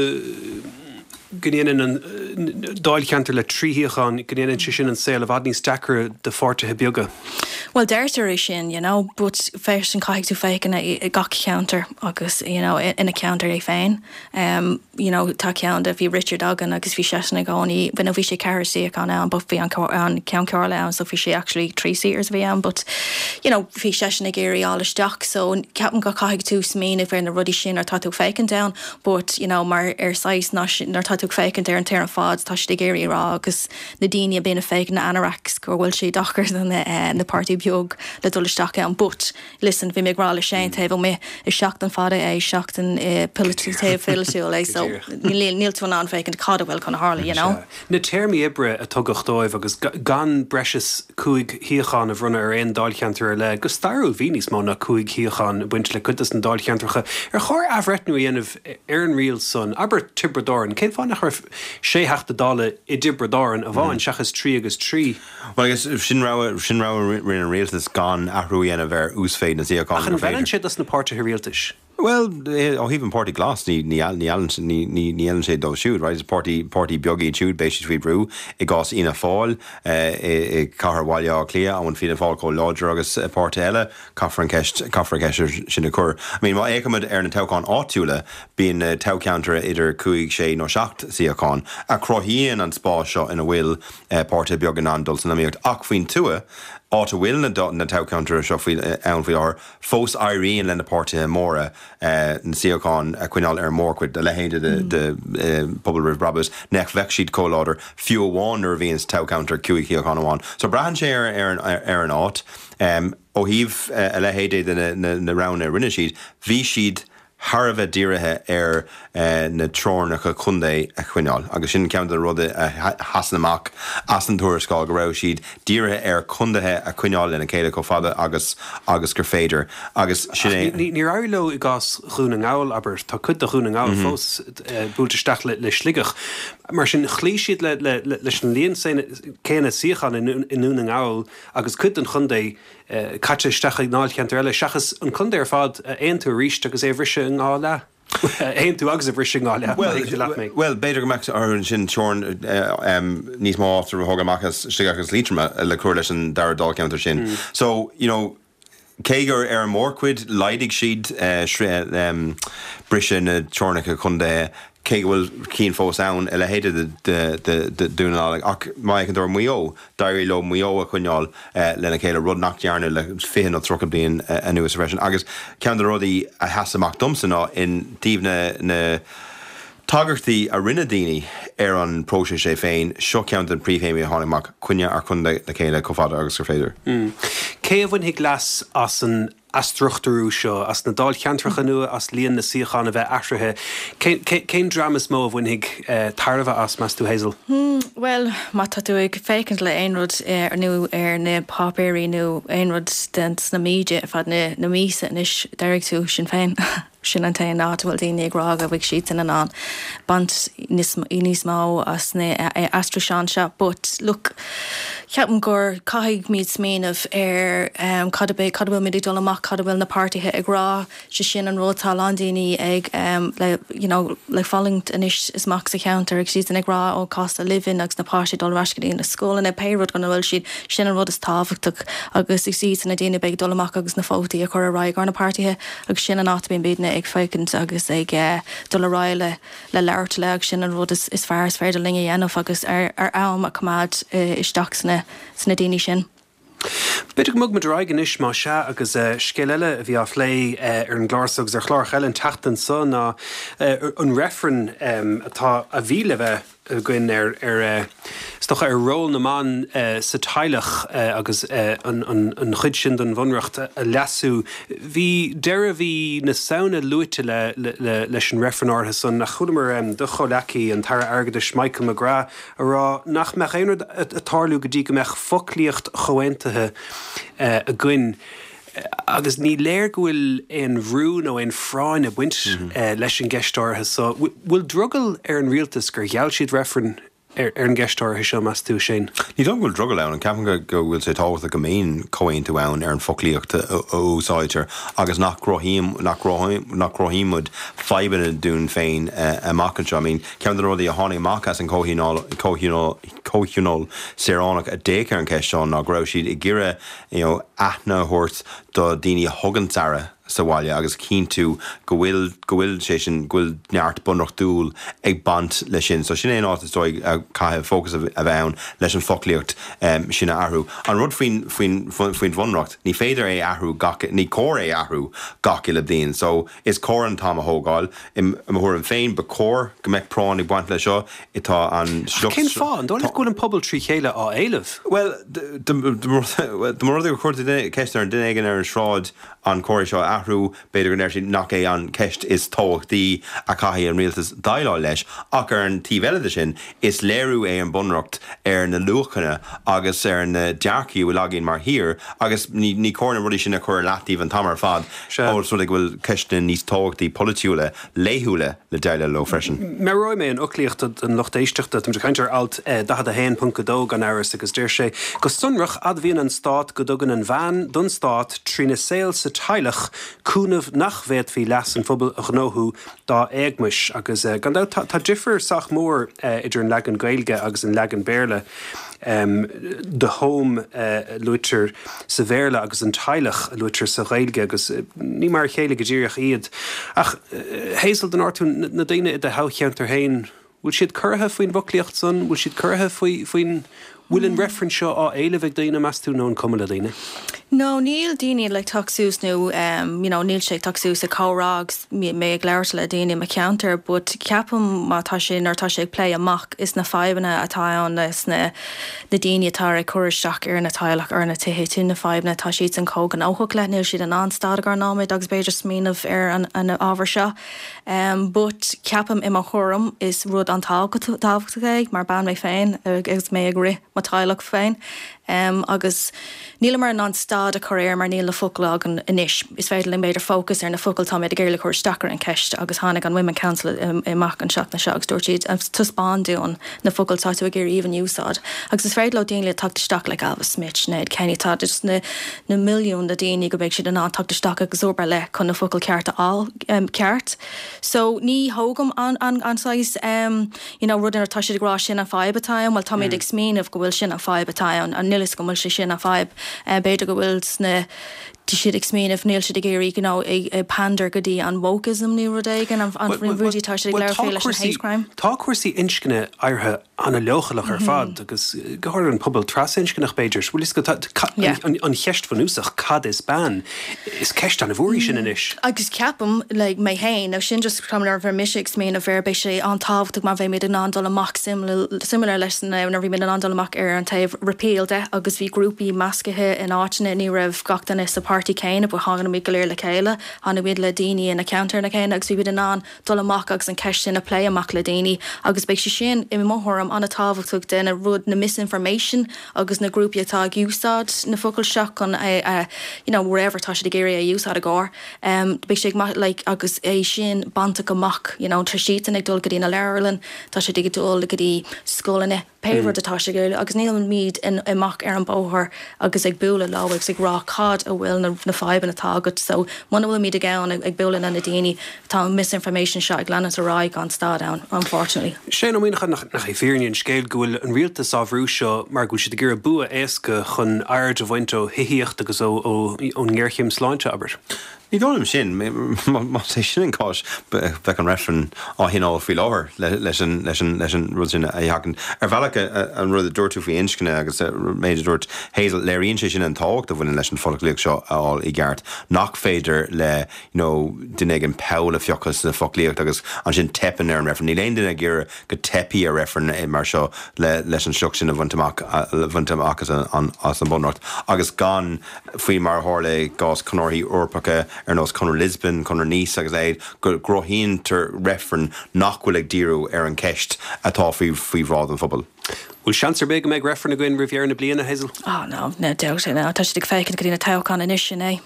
go ndéanann an dáilcheantar le trí shuíochán go ndéanann sé sin an saol i bhfad níos deacra do pháirtithe beaga. Well deirtear é sin, you know, but freisin caithfidh tú féachaint i gach ceantar agus you know, ina ceantar é féin. Um, you know, tá ceann de bhí Richard againn agus bhí seisean i gcónaí, bhí bhí sé ceathair suíochán ann, but bhí an an ceann comhairle ann, so bhí sé actually three seaters a bhí ann, but you know, bhí seisean ag iarraidh fháil isteach, so ceapaim go caithfidh tú smaoineamh ar na rudaí sin ar tá tú féachaint ann, but you know, mar ar saghas nuair tá tú ag féachaint ar an tír ar fad tá siad ag iarraidh rá agus na daoine a bíonn ag féachaint na anoraks go bhfuil sé deacair do na eh, na páirtí beag le dul isteach ann but listen bhí mé ag rá le Shane taobh amuigh is seachtain fada é seachtain eh, polaitiúil é so níl níl tú in ann féachaint cad a bhfuil chun tarlú you know. Na téarmaí oibre a tugadh dóibh agus gan breis is cúig shuíochán a bhronnadh ar aon dáilcheantar ar leith, go stairiúil bhí níos mó ná cúig shuíochán ag baint le cuid de na dáilcheantracha. Ar chóir athbhreithniú a dhéanamh ar an riail san abair Tiobraid Árann, Cén fáth nach raibh sé Theachta Dála i dTiobraid Árann amháin seachas trí agus trí. Well agus sin rogha sin rogha rinne an rialtas gan athrú a dhéanamh ar uasmhéid na suíochán. Ach an bhfeileann sé dos na páirtithe rialtais. Well ó thaobh an Páirtí Glas ní ní ní sé dó siúd, right? Páirtí páirtí beag iad siúd beidh siad faoi bhrú i gcás Fhianna Fáil i cathair Bhaile Átha Cliath an Fianna Fáil chomh láidir agus páirtí eile caithfear an ceist caithfear ceist sin a chur. I mean má fhéachaimid ar na toghcháin áitiúla bíonn toghcheantar idir cúig sé nó seacht suíochán a chruthaíonn an spás seo ina bhfuil páirtí beag in ann dul san iomaíocht ach faoin tuath áit a bhfuil na na toghcheantair seo faoi ann faoi láthair fós éiríonn le na páirtithe móra na suíocháin a choinneáil ar mórchuid a leithéide de de Pobal Roimh Brabús nach bheadh siad chomh láidir fiú amháin nuair a bhíonn toghcheantar cúig shuíochán amháin. So braitheann sé ar ar ar an áit um, ó thaobh a leithéide de na, na, na roghanna a rinne siad, bhí siad thar a bheith dírithe ar uh, na teorainneacha contae a choinneáil. agus sin ceann de rudaí a sheasann amach as an tuarascáil go raibh siad dírithe ar contaetha a choinneáil lena chéile chomh fada agus agus gur féidir agus sin é Níor éirigh leo i gcás Dhún na nGall abair tá cuid de Dhún na nGall fós buailte isteach le, le Sligeach. Mar sin chloígh siad le, le, le, leis an líon céanna suíochán i nDún na nGall agus cuid den chontae uh, caite isteach ag dáilcheantar eile seachas an contae ar fad a aontú arís agus é bhriseadh in dhá leath. Aontú agus a bhriseadh in dhá leath Well, well b'fhéidir go mbeadh ar sin teorainn níos mó a thug amach as Sligeach agus Liatroim le cur leis an dara dáilcheantar sin. Mm. So, you know, cé gur ar an mórchuid laghdaigh siad uh, um, briseadh na teorainneacha contae cé go bhfuil cinn fós ann a leithéide de Dún na nGall ach má an dúir Maigh Eo d'éirigh leo Maigh Eo a choinneáil uh, lena chéile rud nach ndearnadh le fiche nó tríocha bliain uh, anuas freisin. agus ceann de na rudaí a sheas amach domsa ná in taobh na na tagairtí a rinne daoine ar an próiseas é féin seo ceann den príomhthéamaí a tháinig amach coinneáil ar contae le chéile chomh fada agus gur féidir. Mm. Cé a bhainfidh leas as an athstruchtúrú seo as na dáilcheantracha nua as líon na suíochán a bheith athraithe. Cén dream is mó a bhainfidh uh, tairbhe as meas tú Hazel? Hmm, well má tá tú ag féachaint le aon rud ar nó ar na páipéirí nó aon rud den sna media fad na na míosa anois déarfaidh tú Sinn Féin. sin an t-aon áit bhfuil daoine ag rá go bhfuil siad in ann baint níos mó as na aistriúcháin seo, but look ceapaim gur caithfimid smaoineamh ar um, cad a cad bhfuil muid dul amach cad bhfuil na páirtithe ag rá sé sin an rud tá daoine ag um, le you know, le fulaingt anois is amach sa cheantar ag siad ag rá ó cost of living agus na páistí dul ar ais go dtí na scoileanna pé rud gan bhfuil siad sin an rud is tábhachtach agus is iad na daoine beidh dul amach agus na vótaí a chur ar aghaidh ar na páirtithe agus sin an áit bíonn daoine ag féachaint agus ag uh, dul ar aghaidh le le labhairt le agus sin an rud is, is fearr is féidir linn a dhéanamh agus ar, ar am a choimeád uh, isteach sna, sna daoine sin. B'fhéidir go mbogfaimid ar aghaidh anois má sea agus uh, scéal eile a bhí á phlé uh, ar an gclár agus ar chlár eile an tseachtain seo ná uh, an reifreann um, atá a bhí le bheith againn ar ar stocha ar ról na mban uh, sa teaghlach uh, agus uh, an, an, an chuid sin den bhunreacht a leasú. Bhí deireadh mhí na Samhna luaite le, le, le, leis an reifreann áirithe san a chualamar um, do chomhghleacaí an tAire Airgeadais Michael McGrath a rá nach mbeadh aon rud ag tarlú go dtí go mbeadh foclaíocht chomhaontaithe uh, againn. agus ní léir go bhfuil aon bhrú nó aon phráinn ag baint mm -hmm. uh, leis an gceist áirithe so bhfuil drogall ar an rialtas gur gheall siad reifreann ar, ar an gceist áirithe seo meas tú sin. Ní dom bhfuil drogall ann an ceapaim go go bhfuil sé tábhachtach go mbíonn comhaontú ann ar an foclaíocht a úsáidtear agus nach gcruthaím nach nach gcruthaímid fadhbanna dúinn féin amach anseo. I mean, ceann de na rudaí a tháinig amach as an comhthionól saoránach a d'fhéach ar an cheist seo ná go raibh siad ag iarraidh you know, aithne a thabhairt do daoine a thugann aire sa bhaile agus cinntiú go bhfuil go bhfuil sé sin go bhfuil neart bunreachtúil ag baint leis sin. So sin é an áit is dóigh a caithfidh fócas a bheith ann leis an foclaíocht um, sin a athrú. An rud faoin faoin faoin bhunreacht, ní féidir é athrú gach ní cóir é athrú gach uile bliain. So is cóir an t-am a thógáil i mo thuairim féin ba chóir go mbeadh práinn ag baint leis seo atá an Cén fáth an dóigh leat go bhfuil an pobal trí chéile á éileamh? Well dá mba rud é gur chuir ceist ar an duine éigin ar an sráid an cóir seo athrú b'fhéidir go ndéarfaí nach é an ceist is tábhachtaí a chaithfidh an rialtas déileáil leis ach ar an taobh eile de sin is léiriú é an bunreacht ar na luachanna agus ar na dearcthaí a bhfuil againn mar thír agus ní ní cóir na rudaí sin a chur leataobh an t-am ar fad ós rud é go bhfuil ceisteanna níos tábhachtaí polaitiúla laethúla le déileáil leo freisin. Meabhróidh mé an fhoclaíocht don lucht éisteachta tá caint ar alt daichead a haon ponc a dó gan amhras agus deir sé go sonrach admhaíonn an stát go dtugann an bhean don stát trína saol sa teaghlach cúnamh nach bhféadfaí leas an phobail a ghnóthú dá éagmais agus gan dabht tá difear sách mór idir an leagan Gaeilge agus an leagan Béarla. Um, the home uh, luaitear sa Bhéarla agus an teaghlach a luaitear sa Ghaeilge agus uh, ní mar a chéile go díreach iad. Ach uh, Hazel den tú na daoine i do thoghcheantar féin, bhfuil siad corraithe faoin bhfoclaíocht san, bhfuil siad corraithe faoi faoin bhfuil an reifreann seo á éileamh ag daoine meas tú nó an cuma le daoine? No, níl daoine like teacht suas nó um, you know, níl sé teacht suas ag comhrá agus mé ag labhairt le daoine i mo cheantar, but ceapaim má tá sé nuair tá sé ag plé amach is na fadhbanna atá ann leis na na daoine atá ag cur isteach ar na teaghlach ar na tithe sin na fadhbanna tá siad san chomh gnóthach le níl siad in ann stad ar nóiméad agus b'fhéidir smaoineamh ar an, an ábhar seo. Um, but ceapaim i mo thuairim is rud an-tábhachtach é mar bean mé féin agus mé ag rith mo teaghlach féin. Um, agus níl mar an stad a chur air mar níl na focail againn anois. Is féidir linn b'fhéidir focus ar na focail tá ag iarraidh cur isteach ar an ceist agus tháinig an Women Council amach an seachtain seo agus dúirt siad taispeáin dúinn na focail tá tú ag iarraidh even úsáid. Agus is féidir le daoine le teacht isteach le Ailbhe Smith Ned Kenny tá just na na milliún de daoine go mbeidh siad in ann teacht isteach agus obair le chun na focail ceart a fháil um, ceart. So ní thógaim an an an saghas um, you know, rud tá siad ag rá sin an fadhb atá ann, well tá mm. ag smaoineamh go bhfuil sin an fadhb atá ann an nílis go bhfuil sé sin an fadhb uh, b'fhéidir go bhfuil sna Tá siad ag smaoineamh níl siad ag iarraidh you know, ag, ag pander go dtí an wokeism nó rud éigin an, an rudaí tá siad ag labhairt faoi leis an hate crime. Tá cúrsaí inscne éirithe an-leochaileach ar fad agus go háirithe an pobal trasinscneach b'fhéidir, bhfuil go an, an cheist bhunúsach cad is bean is ceist an-mhór í sin anois. Agus ceapaim le mé féin nó sin just ar bhí mise ag smaoineamh air beidh sé an-tábhachtach mar bheimid in ann dul amach similar, similar leis na bhí in ann dul amach ar an taobh repeal de agus bhí grúpaí measctha in áiteanna ní raibh gach duine sa páirtí céanna but tháinig muid go léir le chéile, tháinig muid le daoine ina ceantar na céanna agus bhí muid in ann dul amach agus an ceist sin a plé amach le daoine agus beidh sé sin i mo thuairim an-tábhachtach den rud na misinformation agus na grúpaí atá ag úsáid na focail seo chun é uh, you know wherever tá siad ag iarraidh a úsáid a gcóir. Um, beidh sé like, agus é sin bainte amach you know, tá siad ag dul go dtí na leabharlann, tá siad ag dul go dtí scoileanna pé rud atá sé ag agus nílimid in amach ar an bóthar agus ag bualadh leo agus ag rá cad a bhfuil na, na fadhbanna atá agat so muna bhfuilimid ag ann ag bualadh na daoine tá misinformation seo ag leanúint ar aghaidh gan stad ann unfortunately. Sé nó mína nach nach é fírinne an scéil go bhfuil an rialtas á bhrú seo mar go bhfuil siad ag iarraidh bua éasca chun aird a bhaint ó thithíocht agus ó ón ngéarchéim sláinte abair. Ní dóigh sin má é sin an cás bheadh an reifreann á thionól faoi láthair leis an leis an leis an rud sin a sheachaint. Ar bhealach an rud a dúirt tú faoi inscne agus méid a dúirt Hazel léiríonn sé sin an tábhacht a bhaineann leis an foclaíocht seo a fháil i gceart nach féidir le you know, duine ag an poll a phiocadh sa foclaíocht agus ansin teipeann ar an reifreann. Níl aon duine ag iarraidh go dteipfidh ar reifreann mar seo le leis an sliocht sin a bhaint amach a bhaint amach as an as an bunreacht agus gan faoi mar a tharla i gcás conarthaí Eorpacha ar nós Conradh Lisbon, Conradh Nice agus é go gcruthaítear reifreann nach bhfuil ag díriú ar an ceist atá faoi faoi bhráid an phobail. Bhfuil seans ar bith go mbeidh reifreann againn roimh dheireadh na bliana Hazel? Oh no, no doubt no. Tá siad ag féachaint go dtí na toghcháin anois sin é.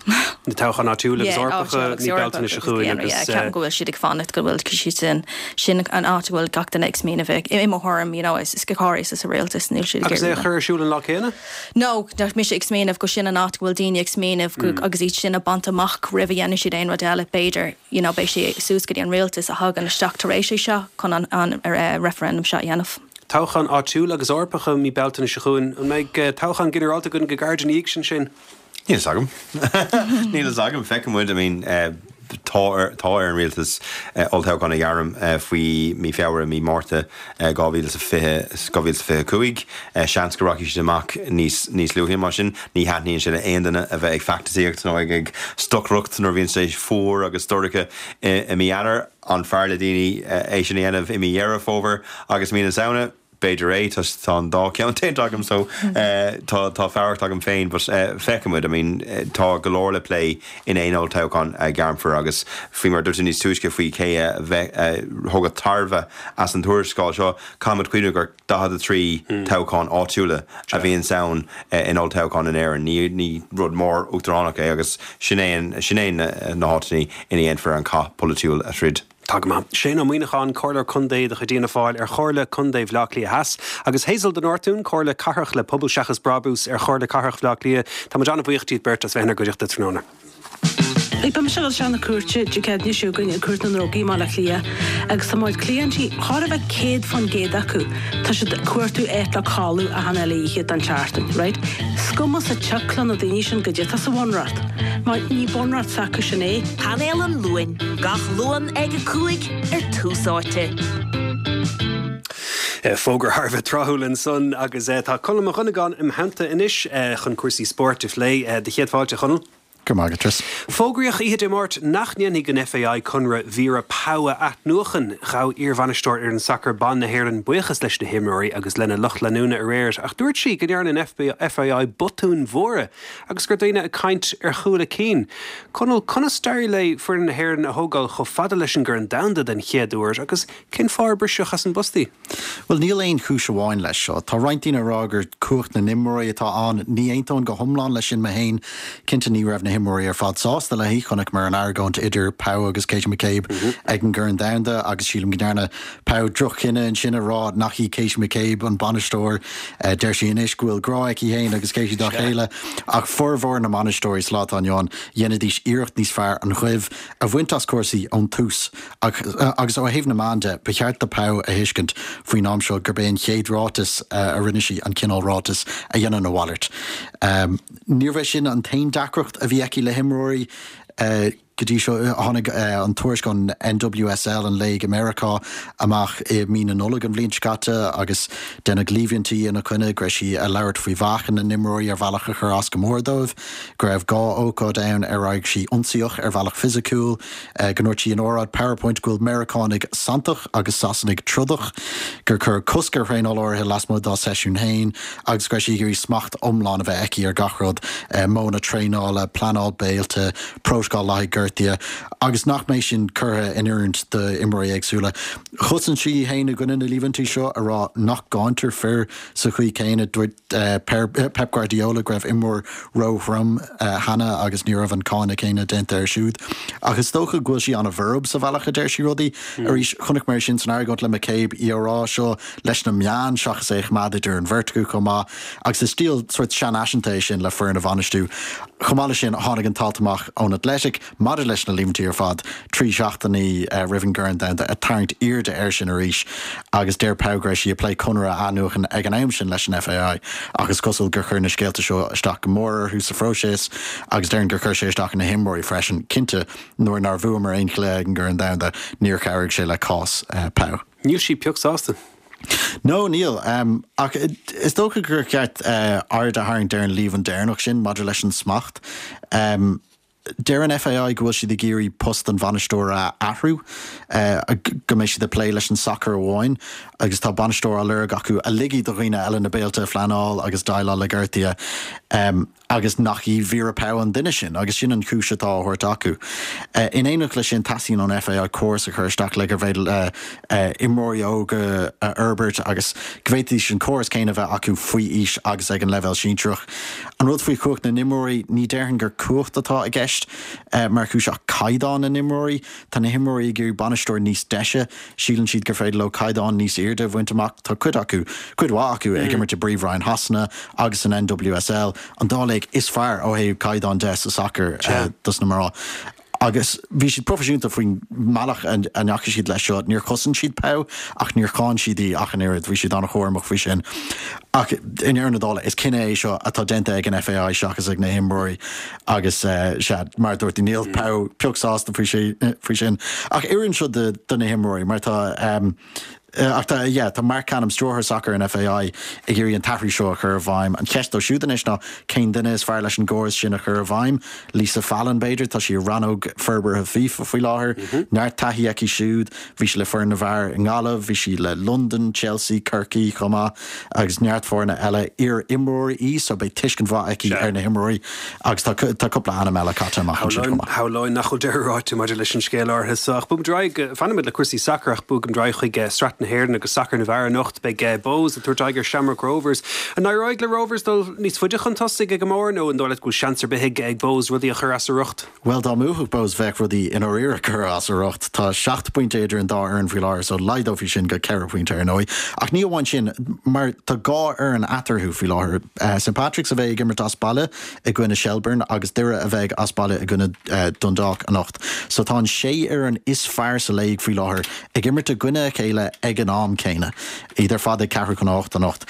Na toghcháin áitiúil agus Eorpacha mí Bealtaine seo chugainn agus ceapaim go bhfuil siad ag fanacht go bhfuil siad sin sin an áit go bhfuil gach duine ag smaoineamh i mo thuairim, you know, is is go háirithe sa rialtas níl siad Agus é a chur ar siúl an lá céanna? No, nach mise ag smaoineamh go sin an áit go bhfuil daoine ag smaoineamh mm. agus iad sin a bhaint amach roimh a dhéanann siad aon rud eile b'fhéidir, you know, beidh sé suas go dtí an rialtas a thagann isteach tar éis é seo chun an, an uh, referendum seo a dhéanamh. Toghchán áitiúil agus Eorpacha mí Bealtaine seo chugainn an mbeidh toghchán ginearálta againn go gairid ina dhiaidh sin sin. Níl a fhios agam. Níl a fhios agam. Feicfidh muid, I mean, tá ar tá ar an rialtas olltoghchán a ghairm faoi mí Feabhra, mí Márta dhá mhíle is a fiche, dhá mhíle is a fiche cúig. Seans go rachaidh siad amach níos níos luaithe mar sin. Ní thaitníonn sé le aon duine a bheith ag feachtasaíocht nó ag ag stocaireacht nuair a bhíonn sé fuar agus dorcha i mí Eanáir. An fearr le daoine é sin a dhéanamh i mí Dheireadh Fómhair agus mí na Samhna? B'fhéidir é, tá an dá cheann déanta agam so tá tá fearacht agam féin but feicfidh muid, I mean tá go leor le plé in aon olltoghchán a ghairmfear agus faoi mar a dúirt tú níos túisce faoi cé a bheith a thógfadh tairbhe as an tuarascáil seo, caithfidh muid cuimhneamh gur daichead a trí toghchán áitiúla a bhíonns ann in olltoghchán in Éirinn. Ní ní rud mór uachtaránach é agus sin é sin é na háiteanna ina dhéanfar an cath polaitiúil a throid. Tá go maith. Shane Ó Muíneacháin, Comhairleoir Contae de chuid Fhianna Fáil ar Chomhairle Contae Bhaile Átha Cliath Theas, agus Hazel de Nortún, Comhairle Cathrach le Pobal Seachas Brabús ar Chomhairle Cathrach Bhaile Átha Cliath. Tá muid an-bhuíoch díot beirt as bheith inár gcuideachta tráthnóna. Beidh mise ag dul isteach na cúirte Dé Céadaoine seo chugainn i gCúirt na nDrugaí i mBaile Átha Cliath agus tá mo chuid cliaintí, chóir a bheith céad fán gcéad acu, tá siad ag cuartú áit le codladh achan uile oíche den tseachtain, right? Is cuma sa tsioc le na daoine sin goidé atá sa bhunreacht, mar ní bunreacht s'acu sin é. Painéal an Luain, gach Luan ag a cúig ar Tús Áite. Fógra thar a bheith tráthúil ansan agus tá Conall Mac Dhonnagáin im theannta anois chun cúrsaí spóirt a phlé. Do chéad fáilte, a Chonaill. Go raibh maith agat, Chris. Fógraíodh oíche Dé Máirt nach ndéanfaidh an F A I conradh Vera Pauw a athnuachan. Ghabh iarbhainisteoir fhoireann sacair ban na hÉireann buíochas leis na himreoirí agus lena lucht leanúna aréir, ach dúirt sí go ndearna an F A I botúin mhóra agus gur daoine ag caint ar chúl a cinn. Conall, conas d'éirigh le foireann na hÉireann a thógáil chomh fada leis an gCorn Domhanda den chéad uair agus cén fáth ar briseadh as an bpost í? Bhuel, níl aon chúis amháin leis seo. Tá roinnt daoine ag rá gur cumhacht na n-imreoirí atá ann. Ní aontóinn go hiomlán leis sin mé féin. Cinnte ní raibh na himreoirí ar fad sásta léi. Chonaiceamar an argóint idir Pauw agus Katie McCabe ag an gCorn Domhanda agus sílim go ndearna Pauw droch-chinneadh ansin a rá nach í Katie McCabe an bainisteoir. Deir sí anois go bhfuil grá aici féin agus Katie dá chéile, ach formhór na mbainisteoirí sa lá atá inniu ann, dhéanfaidís iarracht níos fearr an ghoimh a bhaint as cúrsaí ón tús. Agus ó thaobh na meán de, ba cheart do Pauw a thuiscint faoin am seo gurb é an chéad ráiteas a rinne sí an cineál ráiteas a dhéanann a mhalairt. Níorbh é sin an t-aon deacracht a bhí aici le himreoirí go dtí seo. Tháinig an tuairisc ón N W S L, an léig i Meiriceá, amach i mí na Nollag an bhliain seo caite agus deineadh líomhaintí ina coinne go raibh sí ag labhairt faoi mheáchan na n-imreoirí ar bhealach a chuir as go mór dóibh, go raibh dhá ócáid ann ar éirigh sí ionsaíoch ar bhealach fisiciúil, go ndúirt sí in óráid PowerPoint go bhfuil Meiriceánaigh santach agus Sasanaigh trodach, gur cuireadh cosc ar thraenáil áirithe lasmuigh dá seisiún féin agus go raibh sí ag iarraidh smacht iomlán a bheith aici ar gach rud, modhanna traenála, pleanáil béilte, prótacal le haghaidh gortuithe, agus nach mbeidh sin curtha in oiriúint d'imreoirí éagsúla. Chosain sí féin i gcoinne na líomhaintí seo, a rá nach gcáintear fir sa chaoi céanna. Dúirt Pep Guardiola go raibh imreoir róthrom cheana agus ní raibh an cáineadh céanna déanta air siúd. Ach is dócha go bhfuil sí an-bhorb sa bhealach a deir sí rudaí. Arís, chonaic mé sin san argóint le McCabe, í á rá seo leis na meáin seachas é a choimeád idir an bheirt acu chomh maith, agus is stíl sort seanfhaiseanta é sin le foireann a bhainistiú. Chomh maith leis sin, tháinig an t-alt amach ón Athletic maidir leis na líomhaintí ar fad trí seachtainí roimh an gCorn Domhanda, ag tarraingt airde air sin arís, agus deir Pauw go raibh sí ag plé conradh a athnuachan ag an am sin leis an F A I, ach is cosúil gur chuir na scéalta seo isteach go mór orthu sa phróiseas agus deireann gur chuir sé isteach ar na himreoirí freisin. Cinnte, nuair nár bhuamar aon chluiche ag an gCorn Domhanda, níor chabhraigh sé le cás Pauw. Níl sí pioc sásta. No, níl, um, ach is dócha gur cheart uh, aird a tharraingt ar an líomhain deireanach sin maidir leis an smacht. Um, Deir an F A I go bhfuil siad ag iarraidh post an bhainisteora a athrú, uh, go mbeidh siad ag plé leis an sacar amháin, agus tá bainisteoir á lorg acu a ligfidh do dhaoine eile na béilte a phleanáil agus déileáil le gortuithe. Um, agus nach í Vera Pauw an duine sin, agus sin an chúis atá á thabhairt acu. Uh, in éineacht leis sin, teastaíonn ón F A I córas a chur isteach le gur féidir uh, uh, imreoirí óga a fhorbairt agus go bhféadfaidís an córas céanna bheith acu faoi aois agus ag an leibhéal sinsearach. An rud faoi chumhacht na n-imreoirí, ní déarfainn gur cumhacht atá i gceist uh, mar chúis ach caighdeán na n-imreoirí. Tá na himreoirí ag iarraidh bainisteoir níos deise, síleann siad gur féidir leo caighdeán níos airde a bhaint amach. Tá cuid acu, cuid mhaith acu, ag imirt i bPríomhroinn Shasana agus an N W S L, an dá léig is fearr ó thaobh caighdeán de sa sacar uh, dos na mná. Agus bhí siad proifisiúnta faoin mbealach a ndeachaigh siad leis seo, níor chosain siad Pauw ach níor cháin siad í ach an oiread, bhí siad an-chúramach faoi sin. Ach i ndeireadh na dála, is cinneadh é seo atá déanta ag an FAI seachas ag na himreoirí agus sea, mar a dúirt tú, níl Pauw pioc sásta faoi sin. Ach oireann seo do na himreoirí mar tá, Ach tá, yeah, tá Marc Canham, stiúrthóir sacair an FAI, ag iarraidh an t-athrú seo a chur i bhfeidhm. An cheist dóibh siúd anois ná cén duine is fearr leis an gcóras sin a chur i bhfeidhm? Lisa Fallon, b'fhéidir? Tá sí i rannóg forbartha FIFA faoi láthair. Neart taithí aici siúd. Bhí sí le foireann na bhfear i nGaillimh, bhí sí le Londain, Chelsea, Corcaigh chomh maith agus neart foirne eile. Iar-imreoir í so beidh tuiscint mhaith aici ar na himreoirí agus tá tá cúpla ainm eile caite amach ansin chomh maith. Shamhlóinn nach bhfuil deireadh ráite maidir leis an scéal áirithe seo. Ach bogfaimid ar aghaidh, fanfaimid le cúrsaí sacair ach bogfaimid ar aghaidh chuig Sraith na hÉireann agus sacar na bhfear anocht. Beidh Bohs ag tabhairt aghaidh ar Shamrock Rovers. An éireoidh le Rovers dul níos faide chun tosaigh ag an mbarr nó an dóigh leat go bhfuil seans ar bith ag Bohs rudaí a chur as a riocht? Bhuel, dá mbuafadh Bohs bheadh rudaí i ndáiríre curtha as a riocht. Tá seacht bpointe idir an dá fhoireann faoi láthair so laghdófaí sin go ceithre phointe ar ndóigh. Ach ní amháin sin, mar tá dhá fhoireann eatarthu faoi láthair, St Patrick's a bheidh ag imirt as baile i gcoinne Shelbourne agus Doire a bheidh as baile i gcoinne Dundalk anocht. So tá an sé fhoireann is fearr sa léig faoi láthair ag imirt i gcoinne a chéile ag an am céanna, iad ar fad ag ceathrú chun a hocht anocht.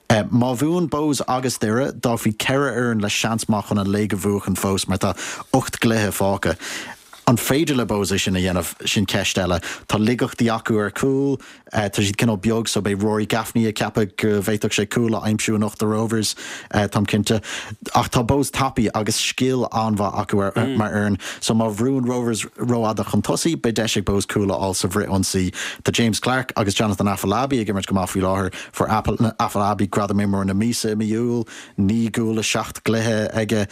Má bhuann Bohs agus Doire, d'fhágfaí ceithre fhoireann le seans maith chun an léig a bhuachan fós mar tá ocht gcluiche fágtha. An féidir le Bohs é sin a dhéanamh? Sin ceist eile. Tá laigeachtaí acu ar chúl. Tá siad cineál beag so beidh Rory Gaffney ag ceapadh go bhféadfadh sé cúl a aimsiú anocht do Rovers, táim cinnte. Ach tá Bohs tapaidh agus scil an-mhaith acu mar fhoireann so má bhrúnn Rovers rófhada chun tosaigh, beidh deis ag Bohs cúl a fháil sa bhfrith-ionsaí. Tá James Clarke agus Jonathan Afolabi ag imirt go maith faoi láthair. Fuair Afolabi gradam Imreoir na Míosa i mí Iúil, naoi gcúl i seacht gcluiche aige.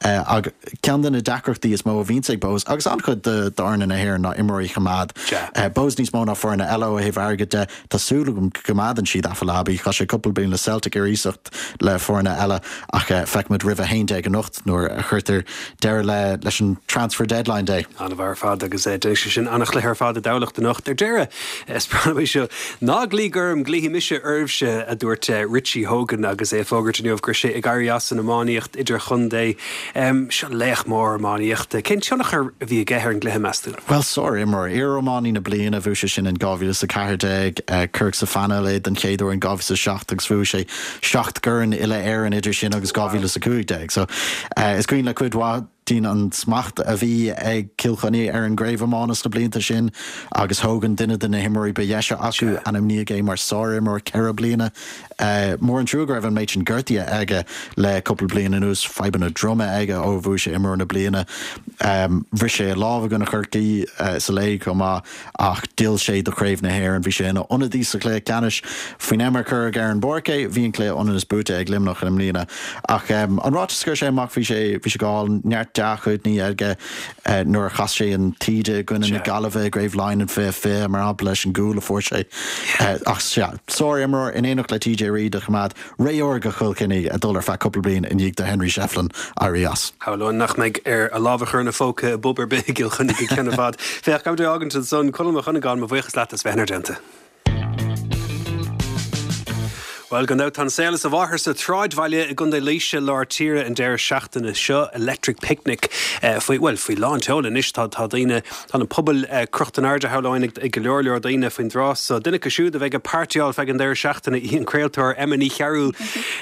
Ach ceann de na deacrachtaí is mó a bhíonns ag Bohs, agus an-chuid d'fhoirne na hÉireann, ná imreoirí a choimeád. Bohs níos mó ná foirne eile ó thaobh airgid de. Tá súil agam go gcoimeádann siad Afolabi. Chaith sé cúpla bliain le Celtic ar iasacht le foirne eile ach feicfimid roimh a haon déag anocht nuair a chuirtear deireadh leis an transfer deadline day. An-mhaith ar fad agus déanfaidh sé sin an-chluiche ar fad i dTamhlacht anocht. Ar deireadh, is breá liom é seo, Ná glaoigh orm, glaofaidh mise oraibhse, a dúirt Richie Hogan agus é ag fógairt inniu go raibh sé ag éirí as an iománaíocht idirchontae. Seo laoch mór iománaíochta. Cén tionchar a bhí aige ar an gcluiche, meas tú? Bhuel, sár-imreoir. Iar-iománaí na bliana, bhuaigh sé sin in dhá mhíle is a ceathair déag. Cuireadh sa phainéal é den chéad uair in dhá mhíle is a seacht agus bhuaigh sé seacht gcorn uile-Éireann idir sin agus dhá mhíle is a cúig déag. So, is cuimhin le cuid mhaith dínn an smacht a bhí ag Cill Chainnigh ar an gcraobh iomána sna blianta sin agus Hogan, duine de na himreoirí ba dheise acu, ainmníodh é mar sár-imreoir ceithre bliana. Mór an trua go raibh an méid sin gortuithe aige le cúpla bliain anuas, fadhbanna droma aige ó bhuaigh sé Imreoir na Bliana. Bhris sé a lámh i gcoinne Chorcaí sa léig chomh maith ach d'fhill sé do Chraobh na hÉireann. Bhí sé ina ionadaí sa chluiche ceannais. Faoin am ar cuireadh ar an bpáirc é, bhí an cluiche ionann is buaite ag Luimneach i mbliana. Ach an ráiteas a chuir sé amach, bhí sé bhí sé go hálainn, neart dea-chuimhní aige nuair a chas sé an taoide i gcoinne na Gaillimhe i gCraobh Laighean in fiche fiche, mar shampla, leis an gcúl a fuair sé. Ach sea, sár-imreoir in éineacht le TJ Reid a choimeád ré órga Chill Chainnigh ag dul ar feadh cúpla bliain i ndiaidh do Henry Shefflin éirí as. Shamhlóinn nach mbeidh air a lámh a chur ina phóca i bpub ar bith i gCill Chainnigh go ceann i bhfad. Féach, gabh do fhágaint ansan, Conall Mac Dhonnagáin, mo bhuíochas leat as bheith inár dteannta. Bhuel, gan dabht, tá an saol as a mháthair sa tsráidbhaile i gContae Laoise, lár tíre, an deireadh seachtaine seo. Electric Picnic faoi, bhuel, faoi lán tseoil anois. Tá, tá daoine, tá na pubaill crochta in airde, shamhlóinn, ag, ag go leor leor daoine faoin dtráth so. Duine acu siúd a bheidh ag pairteáil feadh an deireadh seachtaine í an craoltóir Emma Ní Chearúil.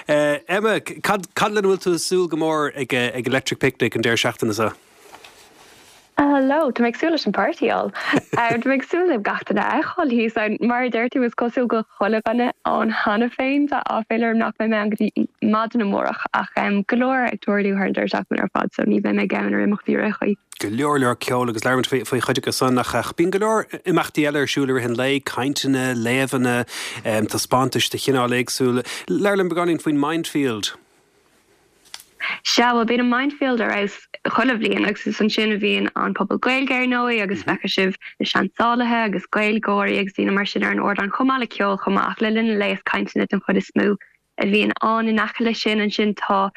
Emma, cad, cad lena bhfuil tú ag súil go mór ag, ag Electric Picnic an deireadh seachtaine seo? Hello, tá mé ag súil leis an bpáirteáil. Tá mé ag súil le gach duine a fheiceáil thíos ann. Mar a deir tú, is cosúil go bhfuil chuile dhuine ann cheana féin. Tá áiféala orm nach mbeidh mé ann go dtí maidin amárach ach go leor ag tarlú thar an deireadh seachtaine ar fad so ní bheidh mé gann ar imeachtaí ar aon chaoi. Go leor leor ceol agus labhraímid faoi faoi chuid acu san ach ach bíonn go leor imeachtaí eile ar siúl i rith an lae, cainteanna, léamhanna, taispeántais de chineál éagsúil. Labhair linn beagáinín faoin Mindfield. Sea, bhuel, bíonn an Mindfield ar fheabhas chuile bhliain agus is ansin a bhíonn an Puball Gaeilge ar ndóigh agus feicfidh sibh na seansálaithe agus Gaeilgeoirí agus daoine mar sin ar an ardán chomh maith le ceol chomh maith ach le linn an lae is cainteanna den chuid is mó a bhíonn ann. In aice leis sin ansin tá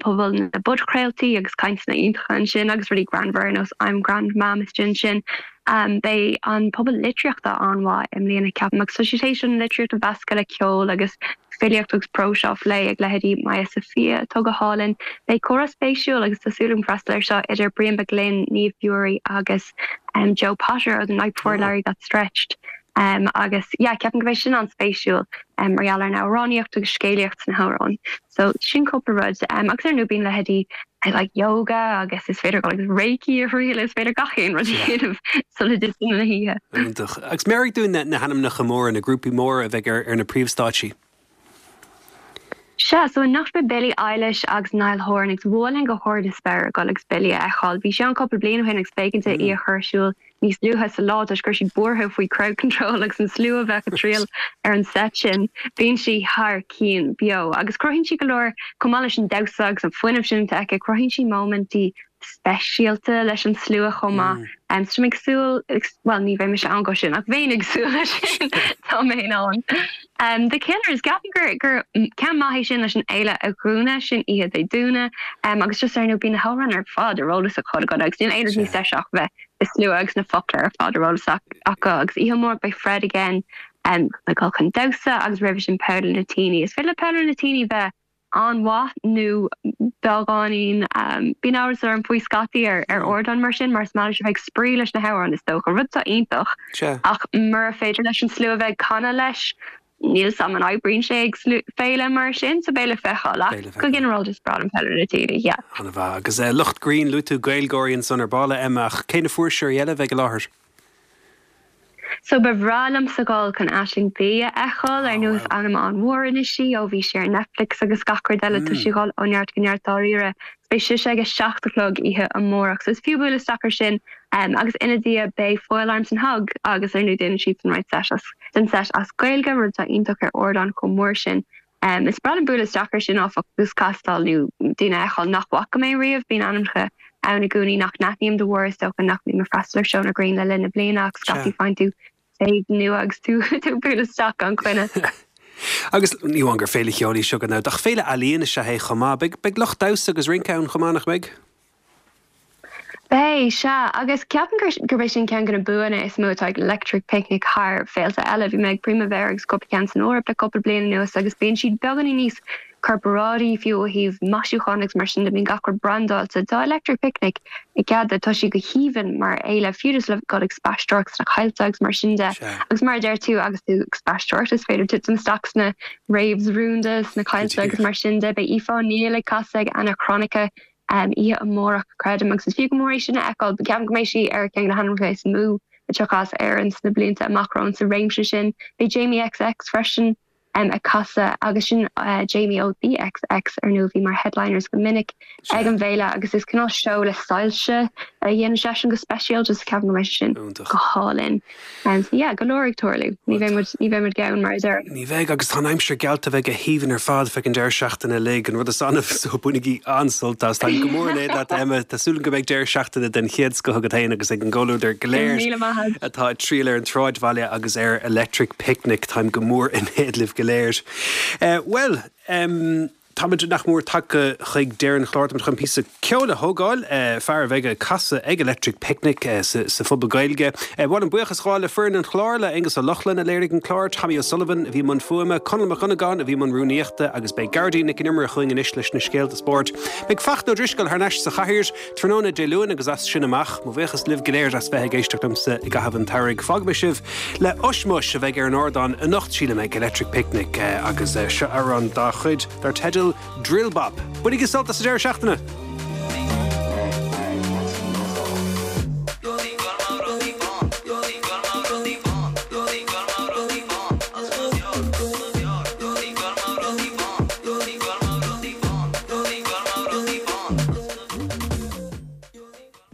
Puball na bPodchraoltaí agus cainteanna iontacha ansin agus rudaí greannmhara ar nós I'm Grandmam istigh ansin. Beidh an Puball Litríochta an-mhaith i mbliana ceapaim agus tá sé tar éis an litríocht a mheascadh le ceol agus filíocht agus próis á phlé ag leithéidí Maya Sophia atá go hálainn. Beidh comhrá spéisiúil agus tá súil agam freastal air seo idir Brian McGlynn, Niamh Bury agus um, Joe Potter ó The Night Before Larry Got Stretched. Um, agus yeah, ceapaim go mbeidh sin an-spéisiúil um, mar gheall ar an amhránaíocht agus scéalaíocht sna hamhráin. So sin cúpla rud um, agus ar ndóigh bíonn leithéidí like yoga agus is féidir go agus reiki a thriail is féidir gach aon rud a dhéanamh sula dtiteann na hoíche. Iontach. Agus meabhraigh dúinn na, na hainmneacha móra na grúpaí móra a bheidh ar, ar na príomhstáitsí. Sea, so anocht beidh Billie Eilish agus Niall Horan agus bhuailfinn go hard is spéir ag dul agus Billie a fheiceáil. Bhí sé an cúpla bliain ó shin agus b'éigean di í a chur ar siúl níos luaithe sa lá toisc go raibh siad buartha faoi crowd control agus an slua a bheith ag triall ar an set sin. Bíonn sí thar cinn beo agus cruthaíonn sí go leor chomh maith leis an damhsa agus an fuinneamh sin atá aici, cruthaíonn sí móimintí speisialta leis an slua chomh maith. Um, so ag súil well ní bheidh mise ann go sin ach bheinn ag súil leis sin tá mé ann. Um, the Killers ceapaim gur gur ceann maith é sin leis an fhéile a dhúnadh sin oíche Dé Domhnaigh um, agus just ar ndóigh bíonn na hamhráin ar fad ar eolas acu go agus níl aon rud níos deise ach bheith i slua agus na focla ar fad ar eolas acu agus oíche amárach beidh Fred again um, le dul chun damhsa agus roimhe sin Paolo Nutini. Is féidir le Paolo Nutini bheith an-mhaith nó beagáinín um, bíonn amhras orm faoi scaití ar ar ardán mar sin mar is maith leis a bheith ag spraoi leis na hamhráin is dócha rud atá iontach ach mura féidir leis an slua bheith ag canadh leis níl sam an oibríonn sé ag féile mar sin so beidh le feiceáil ach go ginearálta is breá liom Paolo Nutini yeah. An-mhaith agus uh, lucht grinn luaigh tú Gaeilgeoirí ansan ar ball Emma ach cé na fuirseoirí eile a bheidh i láthair. So ba bhreá liomsa dul chun Aisling Bea a fheiceáil ar ndóigh is ainm an-mhór anois í ó bhí sé ar Netflix agus gach rud eile tá sí ag dul ó neart go neart dáiríre. Beidh sise ag a seacht a chlog oíche amárach, so is fiú bualadh isteach ar sin um, agus ina diaidh beidh Foil Arms and Hug agus ar ndóigh déanann siad an roinnt set as den set as Gaeilge rud atá iontach ar ardán chomh mór sin. Um, is breá liom bualadh isteach ar sin áfach agus castáil nó daoine a fheiceáil nach bhfaca mé riamh bíonn ainmneacha ann i gcónaí nach n-aithním de bharr is dócha nach mbím ag freastal ar seónna grinn le linn na bliana ach scaití faigheann tú taobh nua agus tú tú bualadh isteach gan choinne. Agus ní amháin gur féile cheoil í seo gan ach féile ealaíon is ea é chomh maith, beidh beidh lucht damhsa agus rince ann chomh maith nach mbeidh? Beidh sea agus ceapaim gur gurb é sin ceann de na buanna is mó atá ag Electric Picnic thar féilte eile. Bhí mé ag Primavera agus cúpla ceann san Eoraip le cúpla bliain anuas agus bíonn siad beagáinín níos corparáidí fiú ó thaobh maisiúcháin agus mar sin de bíonn gach rud brandáilte. Tá Electric Picnic i gcead tá sí go haoibhinn mar fhéile fiú just le dul ag spaisteoireacht sna coillte agus mar sin de. Agus mar a deir tú agus tú ag spaisteoireacht is féidir titim isteach sna raves rúnda sna coillte agus mar sin de. Beidh Aoife O'Neill ag casadh ag Anachronica um, oíche amárach creidim agus is fiú go mór é sin a fheiceáil, ceapaim go mbeidh sí ar ceann de na hainmneacha is mó a thiocfas as Éirinn sna blianta amach romhainn sa réimse sin. Beidh Jamie XX freisin um, ag casadh agus sin uh, Jamie ó The XX ar ndóigh bhí mar headliners go minic ag an bhféile agus is cineál seó le soilse a dhéanann seisean go speisialta just ceapaim go mbeidh sin go hálainn. Um, so yeah, go leor ag tarlú. Ní bheidh ní bheidh muid gann mar a deir. Ní bheidh agus tá an aimsir geallta bheith go haoibhinn ar fad feadh an deireadh seachtaine uilig an rud is annamh so bainigí an-sult as. Tá go mór in éad leat Emma Tá súil go mbeidh deireadh seachtaine den chéad scoth agat féin agus ag an gcomhluadar go léir Míle maith. atá ag triall ar an tsráidbhaile agus ar Electric Picnic Táim go mór in éad libh go léir. Uh, well, um, Táimid nach mór tagtha chuig deireadh an chláir chun píosa ceoil a thógáil uh, fear a bheidh ag casadh ag Electric Picnic uh, sa, sa phuball Gaeilge. Uh, Bhuel buíochas le foireann an chláir le Aengus Ó Lochlainn a léirigh an clár Tommy O'Sullivan a bhí i mbun fuaime, Conall Mac Dhonnagáin a bhí i mbun rúnaíochta agus beidh Gearóidín Nic an Iomaire chugainn anois leis na scéalta spóirt. Beidh Fachtna Ó Drisceoil thar n-ais sa chathaoir tráthnóna Dé Luain agus as sin amach, mo bhuíochas libh go léir as bheith ag éisteacht liomsa i gcaitheamh an tsamhraidh. Fágfaidh mé sibh le Ushmush a bheidh ar an ardán anocht sílim ag Electric Picnic uh, agus uh, seo amhrán dá chuid dar teideal Drill Bop. Bainigí sult as an deireadh seachtaine.